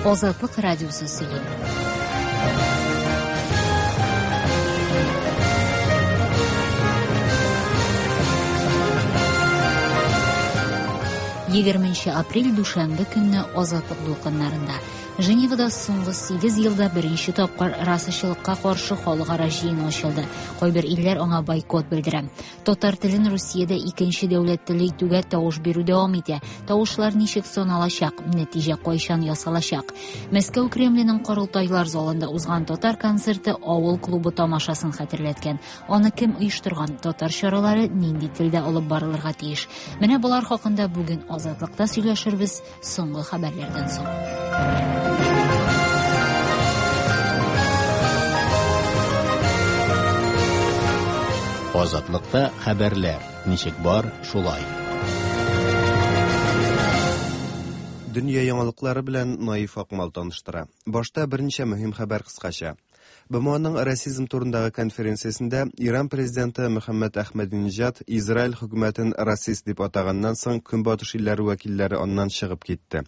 Азатлык радиосы сөйли. Егерменче апрель дүшәмбе көнне Азатлык дулкыннарында. Женевада соңгы 8 елда беренче тапкыр расачылыкка каршы халыкара җыен ачылды. Кайбер илләр аңа бойкот белдерә. Татар телен Русиядә икенче дәүләт теле итүгә тавыш бирү дәвам итә. Тавышлар ничек саналачак? Нәтиҗә кайчан ясалачак? Мәскәү Кремленең корылтайлар залында узган татар концерты авыл клубы тамашасын хәтерләткән. Аны кем оештырган? Татар чаралары нинди телдә алып барылырга тиеш? Менә болар хакында бүген Азатлыкта сөйләшербез соңгы хәбәрләрдән соң. Азатлыкта хәбәрләр ничек бар, шулай. Дөнья яңалыклары белән Наиф Акмал таныштыра. Башта берничә мөһим хәбәр кыскача. БМОның расизм турындагы конференциясендә Иран президенты Мөхәммәд Әхмәдиниҗад Израиль хөкүмәтен расист дип атаганнан соң Көнбатыш илләре вәкилләре аннан чыгып китте.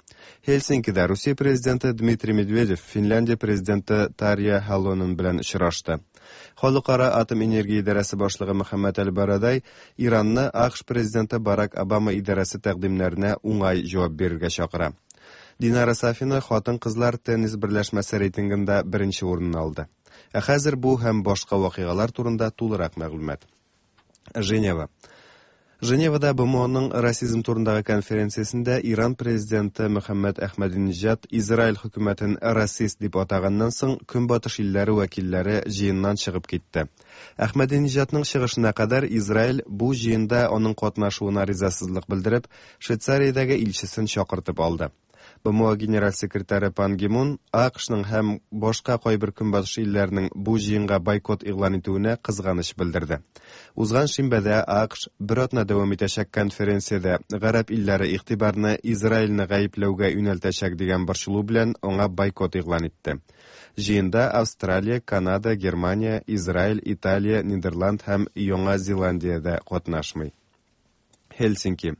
Хельсинкида Русия президенты Дмитрий Медведев Финляндия президенты Тарья Халонен белән очрашты. Халыкара атом энергия идарәсе башлыгы Мөхәммәд Әл-Барадай Иранны АКШ президенты Барак Обама идарәсе тәкъдимнәренә уңай җавап бирергә чакыра. Динара Сафина хатын-кызлар теннис берләшмәсе рейтингында беренче урынны алды. Ә хәзер бу һәм башка вакыйгалар турында тулырак мәгълүмат. Женева. Женевада БМОның расизм турындагы конференциясендә Иран президенты Мөхәммәд Әхмәдиниҗад Израиль хөкүмәтен расист дип атаганнан соң Көнбатыш илләре вәкилләре җыеннан чыгып китте. Әхмәдиниҗадның чыгышына кадәр Израиль бу җыенда аның катнашуына ризасызлык белдереп, Швейцариядәге илчесен чакыртып алды. БМО генераль секретаре Пан Ги Мун АКШның һәм башка кайбер көнбатыш илләренең бу җыенга бойкот игълан итүенә кызганыч белдерде. Узган шимбәдә АКШ бер атна дәвам итәчәк конференциядә гарәп илләре игътибарны Израильне гаепләүгә юнәлтәчәк дигән борчылу белән аңа бойкот игълан итте. Җыенда Австралия, Канада, Германия, Израиль, Италия, Нидерланд һәм Яңа Зеландия дә катнашмый. Хельсинки.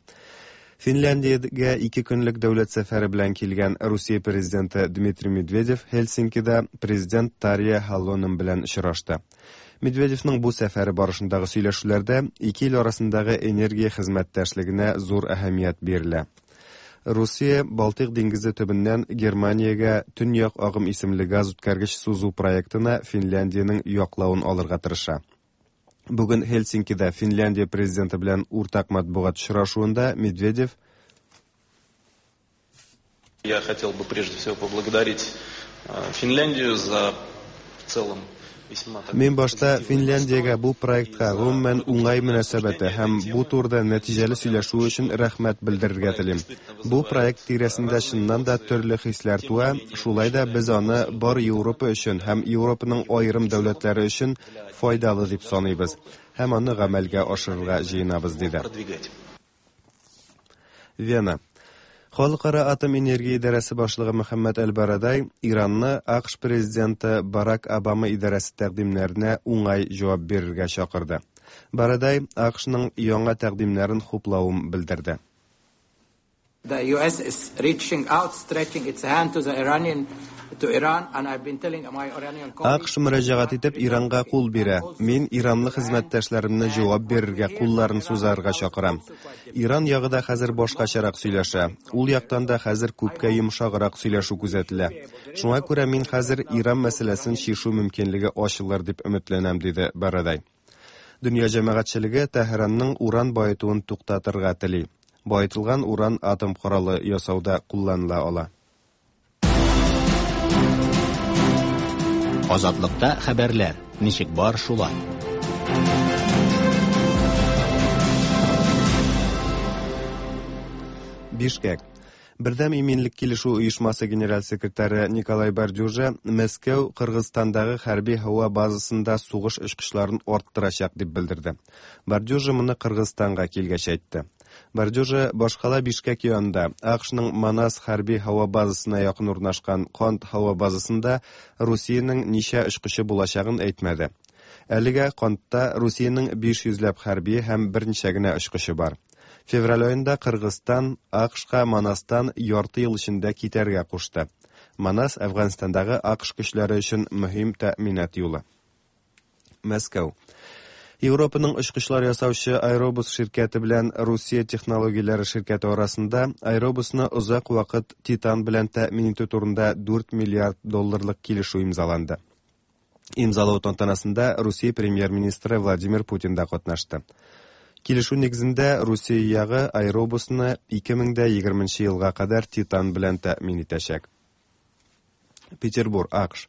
Финляндиягә ике көнлек дәүләт сәфәре белән килгән Русия президенты Дмитрий Медведев Хельсинкида президент Тарья Халонен белән очрашты. Медведевның бу сәфәре барышындагы сөйләшүләрдә ике ил арасындагы энергия хезмәттәшлегенә зур әһәмият бирелә. Русия Балтыйк диңгезе төбеннән Германиягә Төньяк агым исемле газ үткәргеч сузу проектына Финляндиянең яклавын алырга тырыша. Бүген Хельсинкида Финляндия президенты белән уртак матбугат очрашуында Медведев Я хотел бы прежде всего поблагодарить э, Финляндию за в целом Мин башта Финляндиягә бу проектка гомумән уңай мөнәсәбәте һәм бу турыда нәтиҗәле сөйләшүе өчен рәхмәт белдерергә телим. Бу проект тирәсендә чыннан да төрле хисләр туа, шулай да без аны бар Европа өчен һәм Европаның аерым дәүләтләре өчен файдалы дип саныйбыз һәм аны гамәлгә ашырырга җыенабыз, диде. Вена. Халыкара атом энергия идарәсе башлыгы Мөхәммәд Әл-Барадай Иранны АКШ президенты Барак Обама идарәсе тәкъдимнәренә уңай җавап бирергә чакырды. Барадай АКШның яңа тәкъдимнәрен хуплавын белдерде. The US is reaching out, stretching its hand to the Iranian to Iran and I've been telling my Iranian colleagues АКШ мөрәҗәгать итеп Иранга кул бирә. Мин иранлы хезмәттәшләремне җавап бирергә, кулларын сузарга чакырам. Иран ягы да хәзер башкачарак сөйләшә. Ул яктан да хәзер күпкә йомшаграк сөйләшү күзәтелә. Шуңа күрә мин хәзер Иран мәсьәләсен чишү мөмкинлеге ачылыр дип өметләнәм, диде Барадай. Дөнья җәмәгатьчелеге Тәһранның уран баетуын туктатырга тели. Баетылган уран атом коралы ясауда кулланыла ала. Азатлыкта хәбәрләр ничек бар шулай. Бишкек. Бердәм иминлек килешү оешмасы генераль секретаре Николай Бордюжа Мәскәү Кыргызстандагы хәрби һава базасында сугыш очкычларын арттырачак дип белдерде. Бордюжа моны Кыргызстанга килгәч әйтте. Бордюжа башкала Бишкек янында АКШның Манас хәрби һава базасына якын урнашкан Кант һава базасында Русиянең ничә очкычы булачагын әйтмәде. Әлегә Кантта Русиянең 500 ләп хәрби һәм берничә генә очкычы бар. Февраль аенда Кыргызстан АКШка Манастан ярты ел эчендә китәргә кушты. Манас Әфганстандагы АКШ көчләре өчен мөһим тәэминат юлы. Мәскәү. Европаның очкычлар ясаучы Airbus ширкәте белән Русия технологияләре ширкәте арасында Airbusны озак вакыт титан белән тәэмин итү турында 4 миллиард долларлык килешү имзаланды. Имзалау тантанасында Русия премьер-министры Владимир Путин да катнашты. Килешү нигезендә Русия ягы Airbusны 2020 елга кадәр титан белән тәэмин итәчәк. Петербур, АКШ.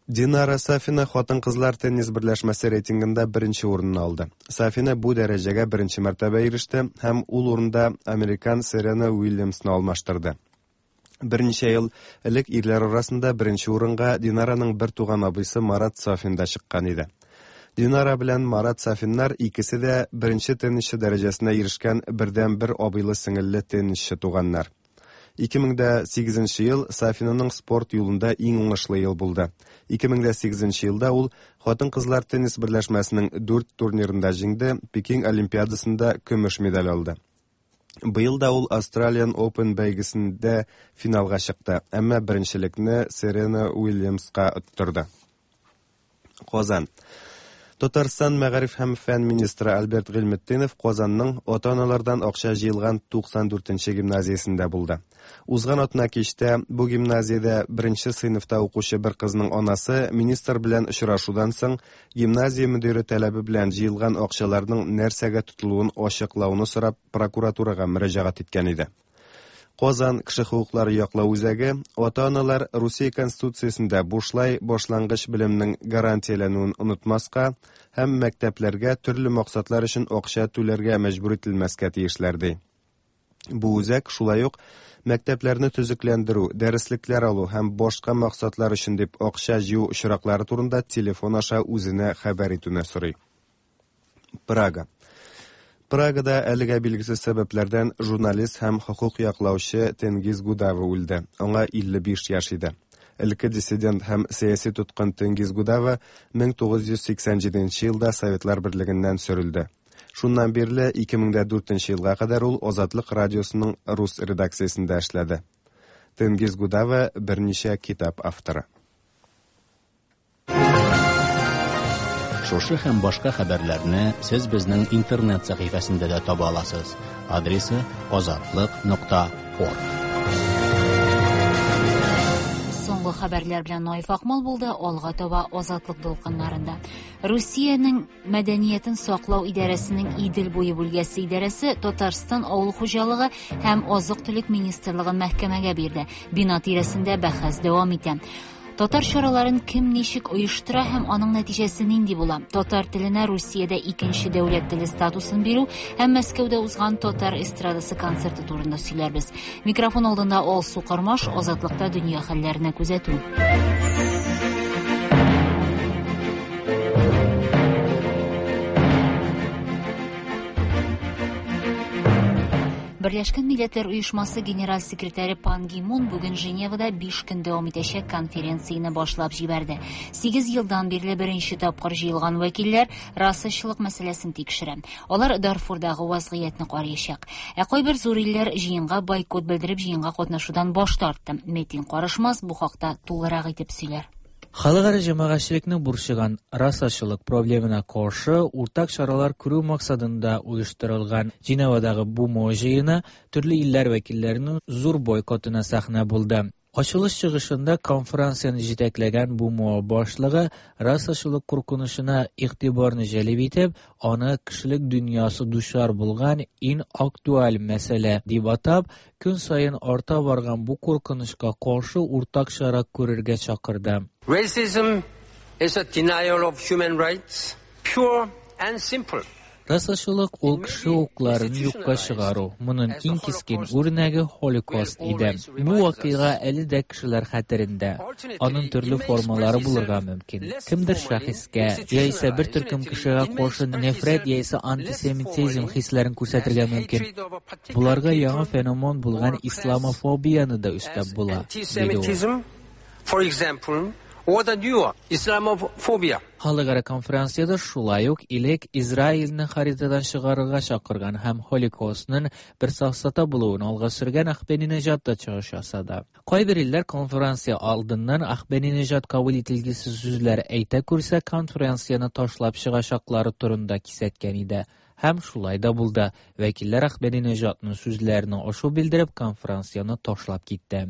Динара Сафина хатын-кызлар теннис берләшмәсе рейтингында беренче урынны алды. Сафина бу дәрәҗәгә беренче мәртәбә иреште һәм ул урында американ Серена Уильямсны алмаштырды. Берничә ел элек ирләр арасында беренче урынга Динараның бер туган абыйсы Марат Сафин да чыккан иде. Динара белән Марат Сафиннар икесе дә беренче теннисчы дәрәҗәсенә ирешкән бердәнбер абыйлы-сеңелле теннисчы туганнар. 2008 ел Сафинаның спорт юлында иң уңышлы ел булды. 2008 елда ул хатын-кызлар теннис берләшмәсенең 4 турнирында җиңде, Пекин Олимпиадасында көмеш медаль алды. Быел да ул Australian Open бәйгесендә финалга чыкты, әмма беренчелекне Серена Уильямска оттырды. Казан. Татарстан мәгариф һәм фән министры Альберт Гыйльметдинов Казанның ата-аналардан акча җыелган 94нче гимназиясендә булды. Узган атна кичтә бу гимназиядә беренче сыйныфта укучы бер кызның анасы министр белән очрашудан соң гимназия мөдире таләбе белән җыелган акчаларның нәрсәгә тотылуын ачыклауны сорап прокуратурага мөрәҗәгать иткән иде. Казан кеше хокуклары яклау үзәге ата-аналар Русия Конституциясендә бушлай башлангыч белемнең гарантияләнүен онытмаска һәм мәктәпләргә төрле максатлар өчен акча түләргә мәҗбүр ителмәскә тиешләр ди. Бу үзәк шулай ук мәктәпләрне төзекләндерү, дәреслекләр алу һәм башка максатлар өчен дип акча җыю очраклары турында телефон аша үзенә хәбәр итүне сорый. Прага. Прагада әлегә билгесез сәбәпләрдән журналист һәм хокук яклаучы Тенгиз Гудава үлде. Аңа 55 яшь иде. Элекке диссидент һәм сәяси тоткын Тенгиз Гудава 1987 елда Советлар Берлегеннән сөрелде. Шуннан бирле 2004 елга кадәр ул Азатлык радиосының рус редакциясендә эшләде. Тенгиз Гудава берничә китап авторы. Шушы һәм башка хәбәрләрне сез безнең интернет сәхифәсендә дә таба аласыз. Адресы azatliq.org. Соңгы хәбәрләр белән Наиф Акмал булды, алга таба Азатлык дулкыннарында. Русиянең мәдәниятен саклау идарәсенең Идел буе бүлгәсе идарәсе Татарстан авыл хуҗалыгы һәм азык-төлек министрлыгын мәхкәмәгә бирде. Бина тирәсендә бәхәс дәвам итә. Татар чараларын кем ничек оештыра һәм аның нәтиҗәсе нинди була? Татар теленә Русиядә икенче дәүләт теле статусын бирү һәм Мәскәүдә узган татар эстрадасы концерты турында сөйләрбез. Микрофон алдында Алсу Кармаш, Азатлыкта дөнья хәлләренә күзәтү. Берләшкән Милләтләр Оешмасы генераль секретаре Пан Ги Мун бүген Женевада 5 көн дәвам итәчәк конференцияне башлап җибәрде. 8 елдан бирле беренче тапкыр җыелган вәкилләр расачылык мәсьәләсен тикшерә. Алар Дарфурдагы вазгыятьне караячак. Ә кайбер зур илләр җыенга бойкот белдереп җыенга катнашудан баш тартты. Метин Карышмас бу хакта тулырак итеп сөйләр. Халыкара җәмәгатьчелекне борчыган расачылык проблемына каршы уртак чаралар күрү максатында оештырылган Женевадагы БУМО җыены төрле илләр вәкилләренең зур бойкотына сәхнә булды. Ачылыш чыгышында конференцияне җитәкләгән БУМО башлыгы расачылык куркынычына игътибарны җәлеп итеп, аны кешелек дөньясы дучар булган иң актуаль мәсьәлә дип атап, көн саен арта барган бу куркынычка каршы уртак чара күрергә чакырды. Racism is a denial of human rights, pure and simple. Расачылык ул кеше хокукларын юкка чыгару. Моның иң кискен үрнәге Холокост иде. Бу вакыйга әле дә кешеләр хәтерендә. Аның төрле формалары булырга мөмкин. Кемдер шәхескә яисә бер төркем кешегә каршы нәфрәт яисә антисемитизм хисләрен күрсәтергә мөмкин. Буларга яңа феномен булган исламофобияне дә өстәп була, диде ул. For example, or the newer Islamophobia. Халыкара конференциядә шулай ук элек Израильне харитадан чыгарырга чакырган һәм Холокостның бер сафсата булуын алга сөргән Ахмединежад та чыгыш ясады. Кайбер илләр конференция алдыннан Ахмединежад кабул ителгесез сүзләр әйтә күрсә, конференцияне ташлап чыгачаклары турында кисәткән иде. Һәм шулай да булды. Вәкилләр Ахмединежадның сүзләренә ачу белдереп, конференцияне ташлап китте.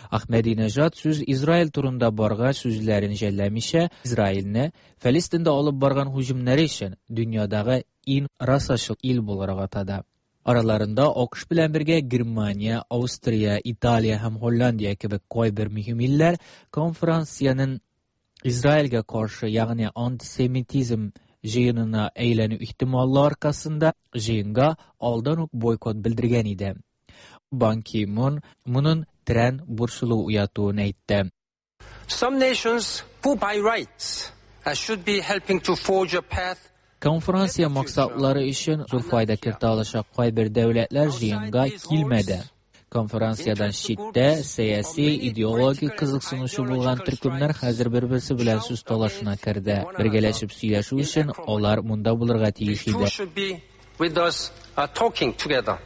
Ахмединежад сүз Израиль турында баргач сүзләрен жәлләмичә, Израильне Фәлестиндә алып барган һөҗүмнәре өчен дөньядагы иң расачыл ил буларак атады. Араларында АКШ белән бергә Германия, Австрия, Италия һәм Һолландия кебек кайбер мөһим илләр конференциянең Израильгә каршы, ягъни антисемитизм җыенына әйләнү ихтималы аркасында җыенга алдан ук бойкот белдергән иде. Бан Ки-мун моның тирән борчылу уятуын әйтте. Some nations who by rights should be helping to forge a path. Конференция максатлары өчен зур файда кертә алачак кайбер дәүләтләр җыенга килмәде. Конференциядән читтә сәяси, идеологик кызыксынучы булган төркемнәр хәзер бер-берсе белән сүз талашына керде. Бергәләшеп сөйләшү өчен алар монда булырга тиеш иде. Should be with us talking together.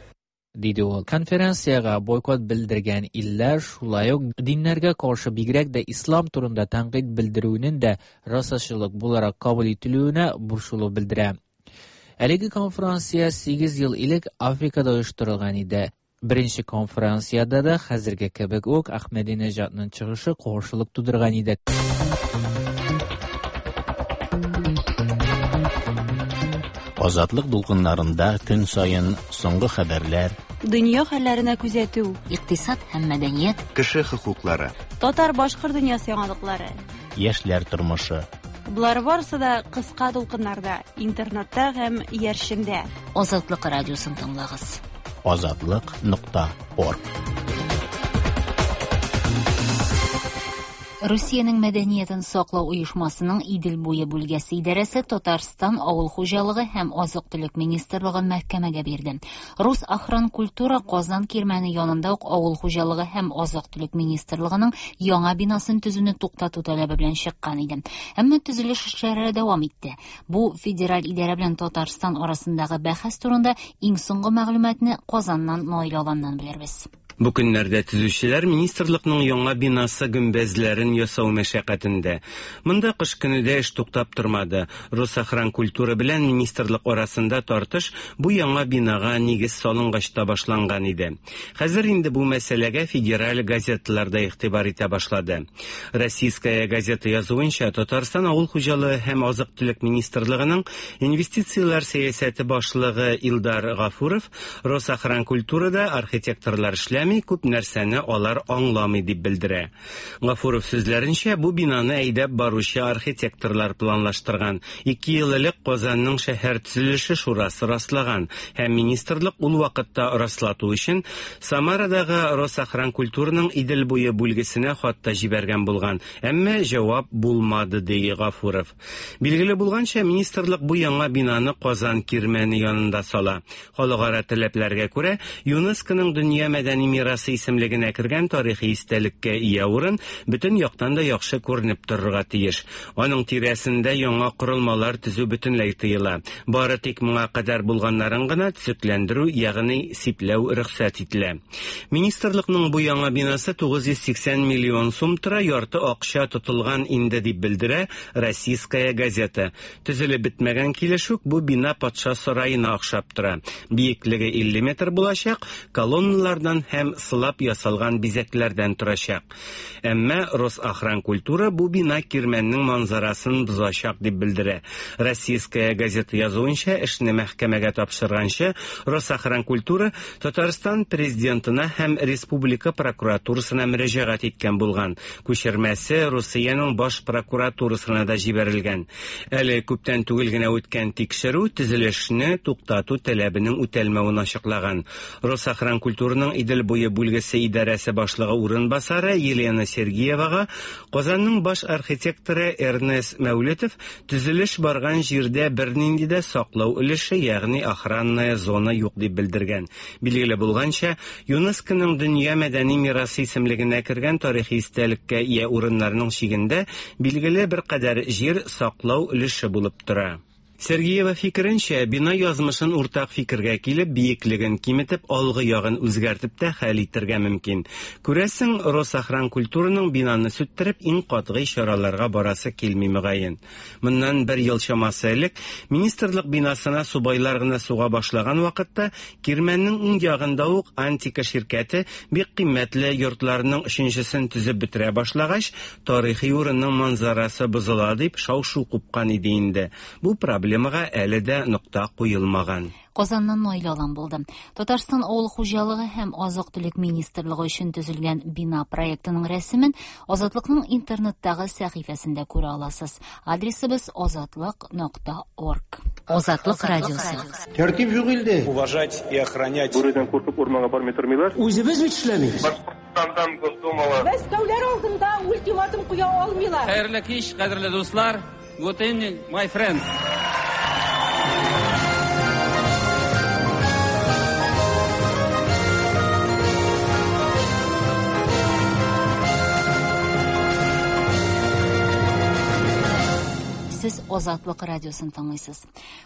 Диде ул. Конференциягә бойкот белдергән илләр шулай ук диннәргә каршы, бигрәк тә ислам турында тәнкыйть белдерүенең дә расачылык буларак кабул ителүенә борчылу белдерә. Әлеге конференция 8 ел элек Африкада оештырылган иде. Беренче конференциядә дә хәзерге кебек үк Ахмединежадның чыгышы каршылык тудырган иде. Азатлык дулкыннарында көн саен соңгы хәбәрләр, Дөнья хәлләренә күзәтү, Икътисад һәм мәдәният, Кеше хокуклары. Татар-башкорт дөньясы яңалыклары. Яшьләр тормышы. Болар барысы да кыска дулкыннарда, интернетта һәм иярчендә. Азатлык радиосын тыңлагыз. Азатлык.орг. Русиянең мәдәниятен саклау оешмасының Идел буе бүлгәсе идарәсе Татарстан авыл хуҗалыгы һәм азык-төлек министрлыгын мәхкәмәгә бирде. Росохранкультура Казан кирмәне янында ук авыл хуҗалыгы һәм азык-төлек министрлыгының яңа бинасын төзүне туктату таләбе белән чыккан иде. Әмма төзелеш эшләре дәвам итте. Бу федераль идарә белән Татарстан арасындагы бәхәс турында иң соңгы мәгълүматны Казаннан Наил Аланнан белербез. Бу көннәрдә төзүчеләр министрлыкның яңа бинасы гөмбәзләрен ясау мәшәкатендә. Монда кыш көне дә эш туктап тормады. Росохранкультура белән министрлык арасында тартыш бу яңа бинага нигез салынгач та башланган иде. Хәзер инде бу мәсьәләгә федераль газеталар да игътибар итә башлады. Российская газета язуынча, Татарстан авыл хуҗалыгы һәм азык-төлек министрлыгының инвестицияләр сәясәте башлыгы Илдар Гафуров Росохранкультурада архитекторлар эшләми, күп нәрсәне алар аңламый дип белдерә. Гафуров сүзләренчә, бу бинаны әйдәп баручы архитекторлар планлаштырган. 2 ел элек Казанның шәһәр төзелеше шурасы раслаган һәм министрлык ул вакытта раслату өчен Самарадагы Росохранкультураның Идел буе бүлгесенә хат та җибәргән булган. Әмма җавап булмады, ди Гафуров. Билгеле булганча, министрлык бу яңа бинаны Казан кирмәне янында сала. Халыкара таләпләргә күрә, ЮНЕСКОның дөнья мәдәни мирасы исемлегенә кергән тарихи истәлеккә ия урын бөтен яктан да яхшы күренеп торырга тиеш. Аның тирәсендә яңа корылмалар төзү бөтенләй тыела. Бары тик моңа кадәр булганнарын гына төзекләндерү, ягъни сипләү рөхсәт ителә. Министрлыкның бу яңа бинасы 980 миллион сум тора, ярты акча тотылган инде дип белдерә Российская газета. Төзелеп бетмәгән килеш үк бу бина патша сараена охшап тора. Биеклеге 50 метр булачак, колонналардан һәм сылап ясалган бизәкләрдән торачак. Әмма Росохранкультура бу бина кирмәннең манзарасын бозачак дип белдерә. Российская газета язуынча, эшне мәхкәмәгә тапшырганчы, Росохранкультура Татарстан президентына һәм республика прокуратурасына мөрәҗәгать иткән булган. Күчермәсе Русиянең баш прокуратурасына да җибәрелгән. Әле күптән түгел генә үткән тикшерү төзелешне туктату таләбенең үтәлмәвен ачыклаган. Росохранкультураның Идел буе буе бүлгесе идарәсе башлыгы урынбасары Елена Сергеевага Казанның баш архитекторы Эрнест Мәүлетов төзелеш барган җирдә бернинди дә саклау өлеше, ягъни охранная зона юк дип белдергән. Билгеле булганча, ЮНЕСКОның Дөнья мәдәни мирасы исемлегенә кергән тарихи истәлеккә ия урыннарның чигендә билгеле беркадәр җир саклау өлеше булып тора. Сергеева фикеренчә, бина язмышын уртак фикергә килеп, биеклеген киметеп, алгы ягын үзгәртеп тә хәл итәргә мөмкин. Күрәсең, Росохранкультураның бинаны сүттереп, иң катгый чараларга барасы килми мөгаен. Моннан бер ел чамасы элек министрлык бинасына субайлар гына суга башлаган вакытта Кирмәннең уң ягында ук Антика ширкәте бик кыйммәтле йортларның өченчесен төзеп бетерә башлагач, тарихи урынның манзарасы бозыла дип шау-шу купкан иде инде. Бу проблемага әле дә нокта куелмаган. Казаннан Наилә Алан булды. Татарстан авыл хуҗалыгы һәм азык-төлек министрлыгы өчен төзелгән бина проектының рәсемен Азатлыкның интернеттагы сәхифәсендә күрә аласыз. Адресыбыз азатлык.орг. Азатлык радиосы. Тәртип юк илдә. Уважать и охранять. Бүредән куркып урманга бармый тормыйлар. Үзебез бит эшләмибез. Башкортстандан Госдумалы. Мәскәүләр алдында ультиматум куя алмыйлар. Хәерле кич, кадерле дуслар. Good evening, my friends. Сез Азатлык радиосын тыңлыйсыз.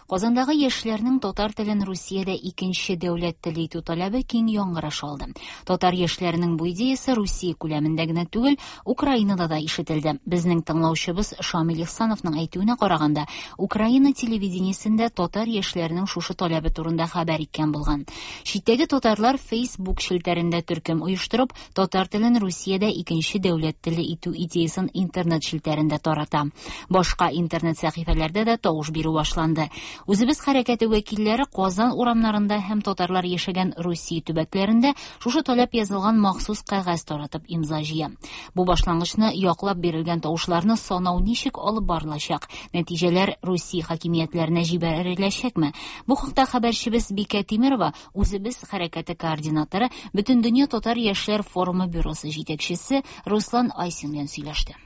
Казандагы яшьләрнең татар телен Русиядә икенче дәүләт теле итү таләбе киң яңгыраш алды. Татар яшьләренең бу идеясе Русия күләмендә генә түгел, Украинада да ишетелде. Безнең тыңлаучыбыз Шамил Ихсановның әйтүенә караганда, Украина телевидениесендә татар яшьләренең шушы таләбе турында хәбәр иткән булган. Читтәге татарлар Facebook челтәрендә төркем оештырып, татар телен Русиядә икенче дәүләт теле итү идеясын интернет челтәрендә тарата. Башка интернет сәхифәләрдә дә тавыш бирү башланды. Үзебез хәрәкәте вәкилләре Казан урамнарында һәм татарлар яшәгән Русия төбәкләрендә шушы таләп язылган махсус кәгазь таратып имза җыя. Бу башлангычны яклап бирелгән тавышларны санау ничек алып барылачак? Нәтиҗәләр Русия хакимиятләренә җибәреләчәкме? Бу хакта хәбәрчебез Бикә Тимирова, Үзебез хәрәкәте координаторы, Бөтендөнья татар яшьләр форумы бюросы җитәкчесе Руслан Айсин белән сөйләште.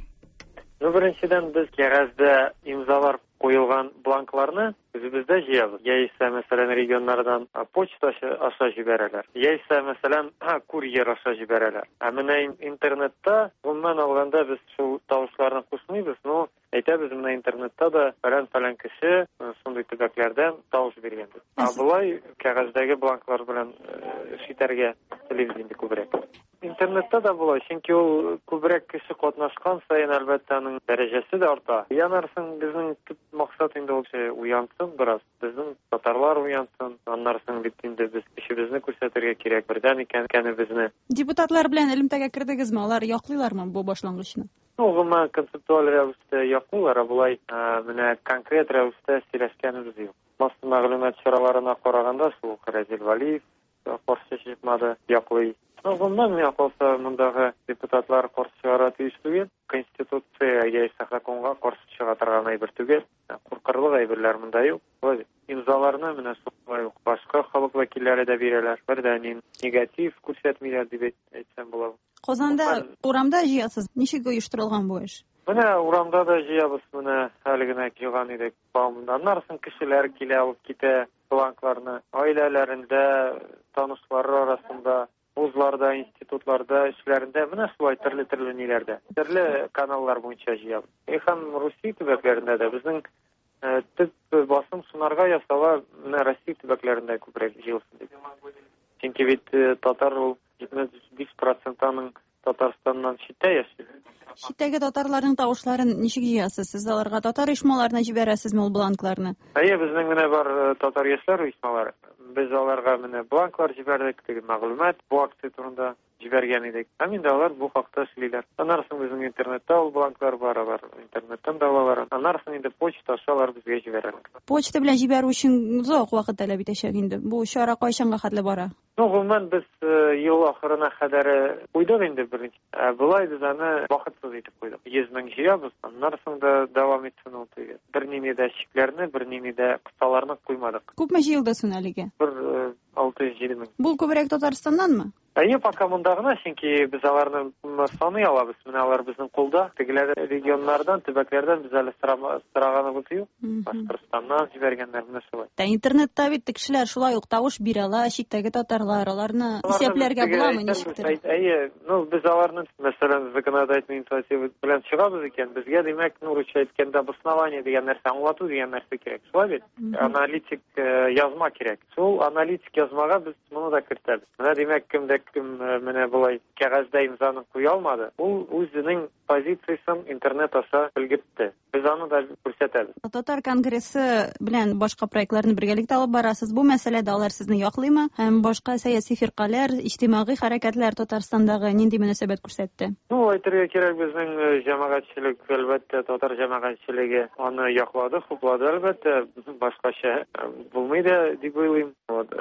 Ну, беренчедән, без кәгазьдә имзалар куелган бланкларны үзебездә җыябыз. Яисә, мәсәлән, регионнардан почта аша җибәрәләр. Яисә, мәсәлән, курьер аша җибәрәләр. Ә менә интернетта, гомумән алганда, без шул тавышларны кушмыйбыз, но әйтәбез, менә интернетта да фәлән-фәлән кеше шундый төбәкләрдән тавыш биргән дип. Ә болай кәгазьдәге бланклар белән эш итәргә телибез инде күбрәк. Интернетта да була, чөнки ул күбрәк кеше катнашкан саен, әлбәттә, аның дәрәҗәсе дә арта. Янарсың, безнең төп максат инде ул уянсын бераз. Безнең татарлар уянсын. Аннарсың бит инде без көчебезне күрсәтергә кирәк, бердәм икәнебезне. Депутатлар белән элемтәгә кердегезме? Алар яклыйлармы бу башлангычны? Ну, гомумән концептуаль рәвештә яклыйлар, ә болай менә конкрет рәвештә сөйләшкәнебез юк. Масса мәгълүмат чараларына караганда, шул ук Разил Валиев каршы чыкмады, яклый. Ну, гомумән, миңа калса, мондагы депутатлар каршы чыгарга тиеш түгел. Конституция яисә законга каршы чыга торган әйбер түгел. Куркырлык әйберләр монда юк. Шулай имзаларны менә шулай ук башка халык вәкилләре дә бирәләр. Бер дә негатив күрсәтмиләр дип әйтсәм була. Казанда урамда җыясыз. Ничек оештырылган бу эш? Менә урамда да җыябыз, менә әле генә җыйган идек. Аннан соң кешеләр килә, алып китә бланкларны. Гаиләләрендә, танышлары арасында, вузларда, институтларда, эшләрендә, менә шулай төрле-төрле ниләрдә. Төрле каналлар буенча җыябыз. Һәм Русия төбәкләрендә дә безнең төп басым шунарга ясала, менә Россия төбәкләрендә күбрәк җыелсын дип. Чөнки бит татар ул 75% аның Татарстаннан читтә яши. Читтәге татарларның тавышларын ничек җыясыз? Сез аларга татар оешмаларына җибәрәсезме ул бланкларны? Әйе, безнең менә бар татар яшьләр оешмалары. Без аларга менә бланклар җибәрдек, теге мәгълүмат бу акция турында җибәргән идек. Һәм инде алар бу хакта эшлиләр. Аннан соң безнең интернетта ул бланклар бар, алар интернеттан да алалар. Аннан соң инде почта аша алар безгә җибәрәләр. Почта белән җибәрү өчен озак вакыт таләп итәчәк инде. Бу чара кайчанга хәтле бара? Ну, гомумән, без ел ахырына кадәр куйдык инде беренче. Болай без аны вакытсыз итеп куйдык. 100 мең җыябыз, аннан соң да дәвам итсен ул теге. Бернинди дә чикләрне, бернинди дә кысаларны куймадык. Күпме җыелды соң әлегә? Бер 607 мең. Бу күбрәк Татарстаннанмы? Әйе, пока монда гына, чөнки без аларны саный алабыз. Менә алар безнең кулда. Тегеләр регионнардан, төбәкләрдән без әле сораганыбыз юк. Башкортстаннан җибәргәннәр менә шулай. Ә интернетта бит кешеләр шулай ук тавыш бирә ала, читтәге татарлар, аларны исәпләргә буламы ничектер? Әйе, ну без аларны, мәсәлән, законодательный инициатива белән чыгабыз икән, безгә димәк, ну русча әйткәндә, обоснование дигән нәрсә, аңлату дигән нәрсә кирәк. Шулай бит? Аналитик язма кирәк. Шул аналитик язмага без моны да кертәбез. Менә димәк, кемдә кем менә болай кәгазьдә имзаны куя алмады, ул үзенең позициясен интернет аша белгертте. Без аны да күрсәтәбез. Татар конгрессы белән башка проектларны бергәлектә алып барасыз. Бу мәсьәләдә алар сезне яклыймы? Һәм башка сәяси фиркаләр, иҗтимагый хәрәкәтләр Татарстандагы нинди мөнәсәбәт күрсәтте? Ну, әйтергә кирәк, безнең җәмәгатьчелек, әлбәттә, татар җәмәгатьчелеге аны яклады, хуплады, әлбәттә, башкача булмый да дип уйлыйм. Вот,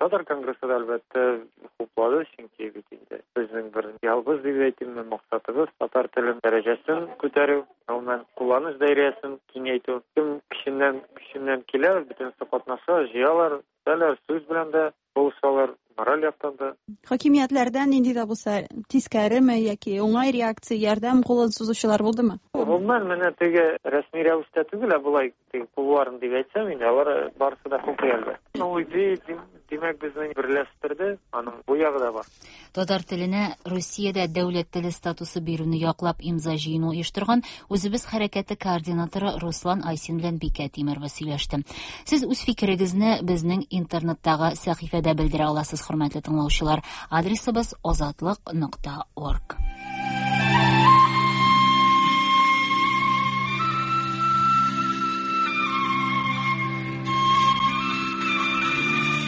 татар конгрессы да, әлбәттә, хуплады, чөнки бит инде безнең бер ялгыз дип әйтимме, максатыбыз татар телен дәрәҗәсен күтәрү, гомумән кулланыш даирәсен киңәйтү. Кем көченнән килә, бөтенесе катнаша, җыялар, үтәләр, сүз белән дә булышалар, мораль яктан да. Хакимиятләрдән нинди дә булса тискәреме яки уңай реакция, ярдәм кулын сузучылар булдымы? Гомумән, менә теге рәсми рәвештә түгел, ә болай теге кулларын дип әйтсәм инде, алар барысы да хуплый әлбәттә. Ул идея, димәк, безне берләштерде, аның бу ягы да бар. Татар теленә Русиядә дәүләт теле статусы бирүне яклап имза җыены оештырган Үзебез хәрәкәте координаторы Руслан Айсин белән Бикә Тимерова сөйләште. Сез үз фикерегезне безнең интернеттагы сәхифәдә белдерә аласыз, хөрмәтле тыңлаучылар. Адресыбыз азатлык.org.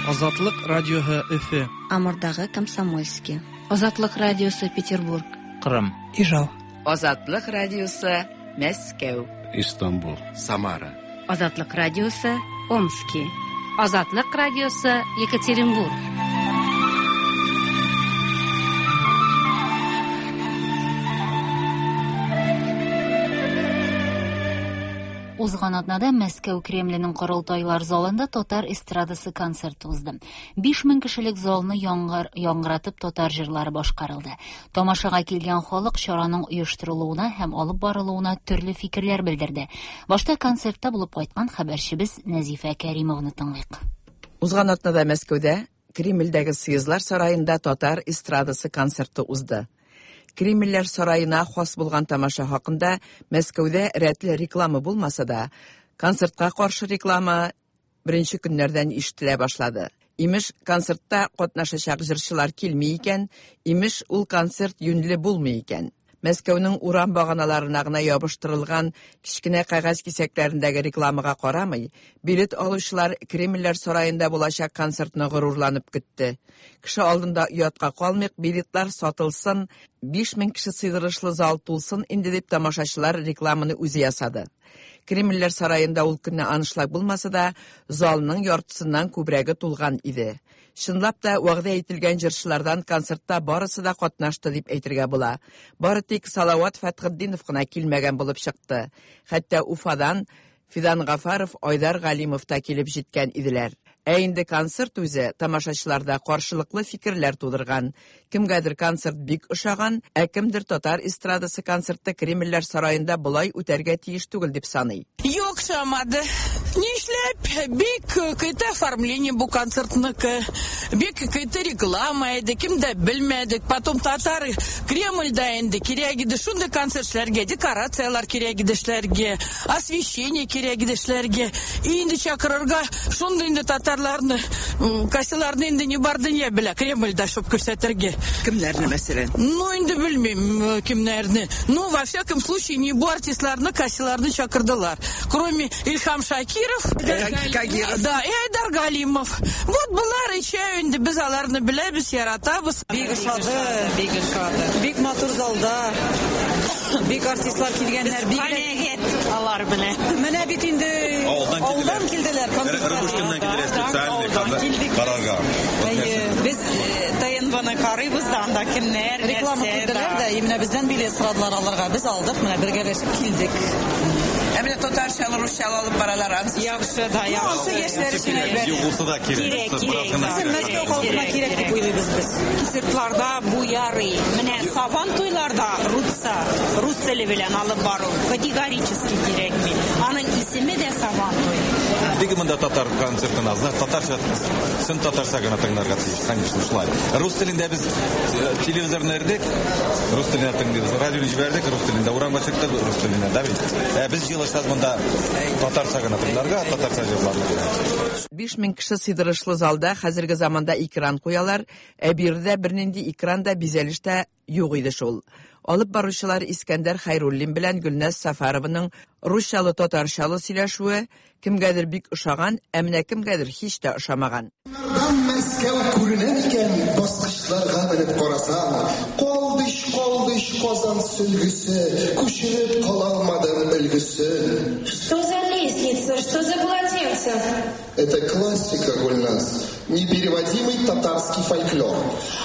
Азатлык радиоһы Өфе. Амурдагы Комсомольский. Азатлык радиосы Петербург. Кырым. Ижау. Азатлык радиосы Мәскәү. Истанбул. Самара. Азатлык радиосы Омски. Азатлык радиосы Екатеринбург. Узган атнада Мәскәү Кремленең корылтайлар залында татар эстрадасы концерты узды. 5000 кешелек залны яңгыратып татар җырлары башкарылды. Тамашага килгән халык чараның оештырылуына һәм алып барылуына төрле фикерләр белдерде. Башта концертта булып кайткан хәбәрчебез Нәзифә Кәримованы тыңлыйк. Узган атнада Мәскәүдә Кремльдәге Съездлар сараенда татар эстрадасы концерты узды. Кремльләр сараена хас булган тамаша хакында Мәскәүдә рәтле реклама булмаса да, концертка каршы реклама беренче көннәрдән ишетелә башлады. Имеш, концертта катнашачак җырчылар килми икән, имеш, ул концерт юньле булмый икән. Мәскәүнең урам баганаларына гына ябыштырылган кечкенә кәгазь кисәкләрендәге рекламага карамый, билет алучылар Кремльләр сараенда булачак концертны горурланып көтте. Кеше алдында оятка калмыйк, билетлар сатылсын, 5000 кеше сыйдырышлы зал тулсын инде дип тамашачылар рекламаны үзе ясады. Кремльләр сараенда ул көнне аншлаг булмаса да, залның яртысыннан күбрәге тулган иде. Чынлап та вәгъдә ителгән җырчылардан концертта барысы да катнашты дип әйтергә була. Бары тик Салават Фәтхетдинов кына килмәгән булып чыкты. Хәтта Уфадан Фидан Гафаров, Айдар Галимов та килеп җиткән иделәр. Ә инде концерт үзе тамашачыларда каршылыклы фикерләр тудырган. Кемгәдер концерт бик ошаган, ә кемдер татар эстрадасы концерты Кремльләр сараенда болай үтәргә тиеш түгел дип саный. Юк, ошамады. Нишләп? Бик кыйты оформление бу концертныкы, бик кыйты реклама иде, кем дә белмәдек. Потом татар Кремльдә инде кирәк иде шундый концертларга, декорацияләр кирәк иде эшләргә, освещение кирәк иде эшләргә. Инде чакырырга шундый инде татарларны, кайсыларны инде не бар дөнья белә Кремльдә шуп күрсәтергә. Кемнәрне мәсәлән? Ну инде белмим кемнәрне. Ну во всяком случае не бу артистларны, кайсыларны чакырдылар. Кроме Ильхам Шакиров, да, и Айдар Галимов. Вот булар ичә инде без аларны беләбез, яратабыз. Бик ошады, бик ошады. Бик матур залда. Бик артистлар килгәннәр, бик канәгать алар белән. Менә бит инде авылдан килделәр, Рыбушкиннан килделәр специально карарга. Без ТНВны карыйбыз да, анда кемнәр, реклама килделәр дә, менә бездән билет сорадылар алырга. Без алдык, менә бергәләшеп килдек. Ә менә татарчалы, русчалы алып баралар, ансы. Яхшы да, яхшы. Ансы яшьләр өчен әйбәт. Юк булса да кирәк. Кирәк, кирәк. Безнең Мәскәү халкына кирәк дип уйлыйбыз без. Концертларда бу ярый. Менә Сабан туйларда русча, рус теле белән алып бару категорически кирәкми. Аның исеме дә Сабан туй. Бик монда татар концертын аз, татарча, чын татарча гына тыңларга тиеш, конечно, шулай. Рус телендә без телевизорны өрдек, рус телендә тыңлыйбыз, радионы җибәрдек, рус телендә, урамга чыктык, рус телендә, да бит? Ә без җыелышсак монда татарча гына тыңларга, татарча җырларга. 5000 кеше сыйдырышлы залда хәзерге заманда экран куялар, ә биредә бернинди экран да, бизәлеш тә юк иде шул. Алып баручылар Искәндәр Хәйруллин белән Гөлназ Сафарованың русчалы-татарчалы сөйләшүе кемгәдер бик ошаган, ә менә кемгәдер һич тә ошамаган. Мәскәү күренә микән, баскычларга менеп карасаң, калды ич, калды ич Казан сөлгесе, күчереп кала алмадым өлгесен. Что за лестница, что за полотенце? Это классика, Гульназ, непереводимый татарский фольклор.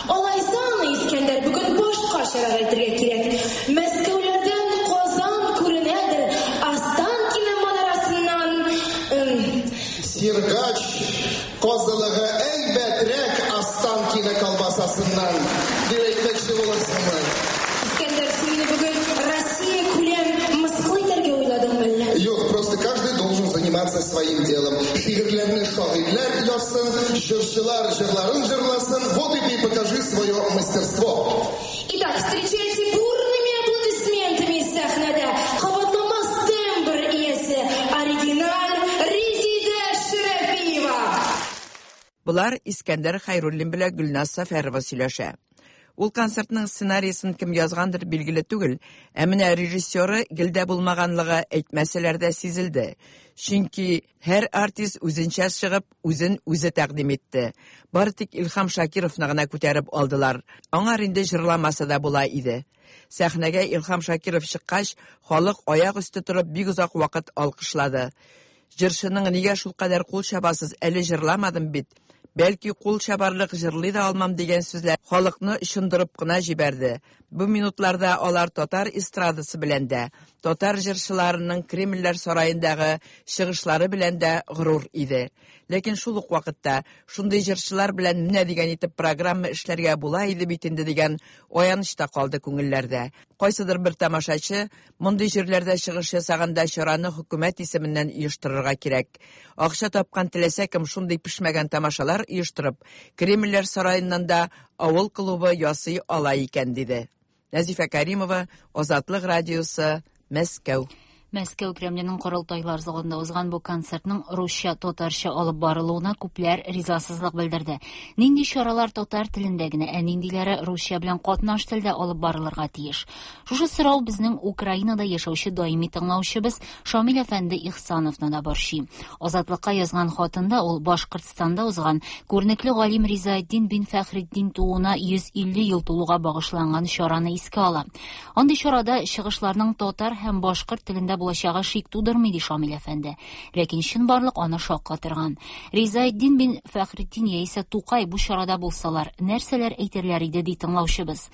Алайса аны, Искәндәр, бүген башкачарак әйтергә кирәк. Мәскәүләрдән Казан күренәдер, Останкино манарасыннан... Сергач казылыгы әйбәтрәк Останкино колбасасыннан, дип әйтмәкче буласыңмы? Искәндәр, син мине бүген Россия күләм мыскыл итәргә уйладыңмы әллә? Юк, просто каждый должен заниматься своим делом. Шигырьләрне шагыйрьләр язсын, җырчылар җырларын җырласын. Вот и ты покажи свое мастерство. Итак, встречайте бурными аплодисментами сәхнәдә кабатламас тембр иясе, оригиналь Резидә Шәрәфиева! Болар Искәндәр Хәйруллин белән Гөлназ Сәфәрова сөйләшә. Ул концертның сценариясен кем язгандыр билгеле түгел, ә менә режиссеры гел дә булмаганлыгы әйтмәсәләр дә сизелде. Чөнки һәр артист үзенчә чыгып, үзен үзе тәкъдим итте. Бары тик Илһам Шакировны гына күтәреп алдылар. Аңар инде җырламаса да була иде. Сәхнәгә Илһам Шакиров чыккач, халык аяк өсте торып бик озак вакыт алкышлады. Җырчының нигә шулкадәр кул чабасыз, әле җырламадым бит. Бәлки кул чабарлык җырлый да алмам дигән сүзләр халыкны очындырып кына җибәрде. Бу минутларда алар татар эстрадасы белән дә, татар җырчыларының Кремльләр сараендагы чыгышлары белән дә горур иде. Ләкин шул ук вакытта шундый җырчылар белән менә дигән итеп программа эшләргә була иде бит инде дигән аяныч та калды күңелләрдә. Кайсыдыр бер тамашачы мондый җирләрдә чыгыш ясаганда чараны хөкүмәт исеменнән оештырырга кирәк. Акча тапкан теләсә кем шундый пешмәгән тамашалар оештырып, Кремльләр сараеннан да авыл клубы ясый ала икән, диде. Нәзифә Каримова, Азатлык радиосы, Мәскәү. Мәскәү Кремленең корылтайлар залында узган бу концертның русча-татарча алып барылуына күпләр ризасызлык белдерде. Нинди чаралар татар телендә генә, ә ниндиләре русча белән катнаш телдә алып барылырга тиеш? Шушы сорау безнең Украинада яшәүче даими тыңлаучыбыз Шамил әфәнде Ихсановны да борчый. Азатлыкка язган хатында ул Башкортстанда узган күренекле галим Ризаэддин бин Фәхретдин тууына 150 ел тулуга багышланган чараны искә ала. Андый чарада чыгышларның татар һәм башкорт телендә булачагы шик тудырмый, ди Шамил әфәнде. Ләкин чынбарлык аны шаккатырган. Ризаэддин бин Фәхретдин яисә Тукай бу чарада булсалар, нәрсәләр әйтерләр иде, ди тыңлаучыбыз.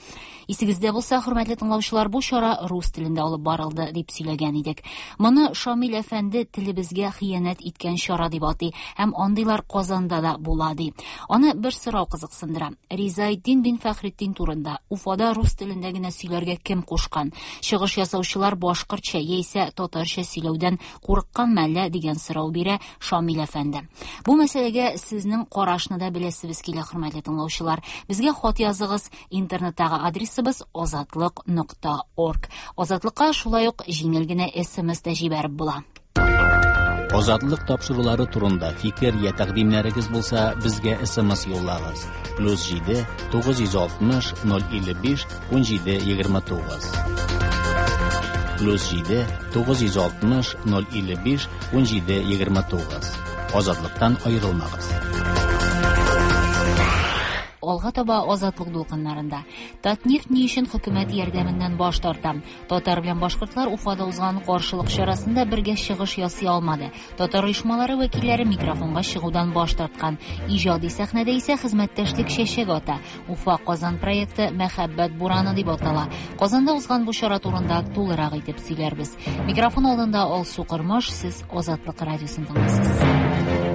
Исегездә булса, хөрмәтле тыңлаучылар, бу чара рус телендә алып барылды, дип сөйләгән идек. Моны Шамил әфәнде телебезгә хыянәт иткән чара дип атый һәм андыйлар Казанда да була, ди. Аны бер сорау кызыксындыра. Ризаэддин бин Фәхретдин турында Уфада рус телендә генә сөйләргә кем кушкан? Чыгыш ясаучылар башкортча яисә татарча сөйләүдән курыкканмы әллә дигән сорау бирә Шамил әфәнде. Бу мәсьәләгә сезнең карашны да беләсебез килә, хөрмәтле тыңлаучылар. Безгә хат языгыз. Интернеттагы адресыбыз азатлык нокта орг. Азатлыкка шулай ук җиңел генә смс тә җибәреп була. Азатлык тапшырулары турында фикер я тәкъдимнәрегез булса, безгә смс юллагыз. Плюс 7 960 055 17 29. Плюс 7 960 055 17 29. Азатлыктан аерылмагыз. Алга таба Азатлык дулкыннарында. Татнефть ни өчен хөкүмәт ярдәменнән баш тарта? Татар белән башкортлар Уфада узган каршылык чарасында бергә чыгыш ясый алмады. Татар оешмалары вәкилләре микрофонга чыгудан баш тарткан. Иҗади сәхнәдә исә хезмәттәшлек чәчәк ата. Уфа-Казан проекты Мәхәббәт бураны дип атала. Казанда узган бу чара турында тулырак итеп сөйләрбез. Микрофон алдында Алсу Кормаш, сез Азатлык радиосын тыңлыйсыз.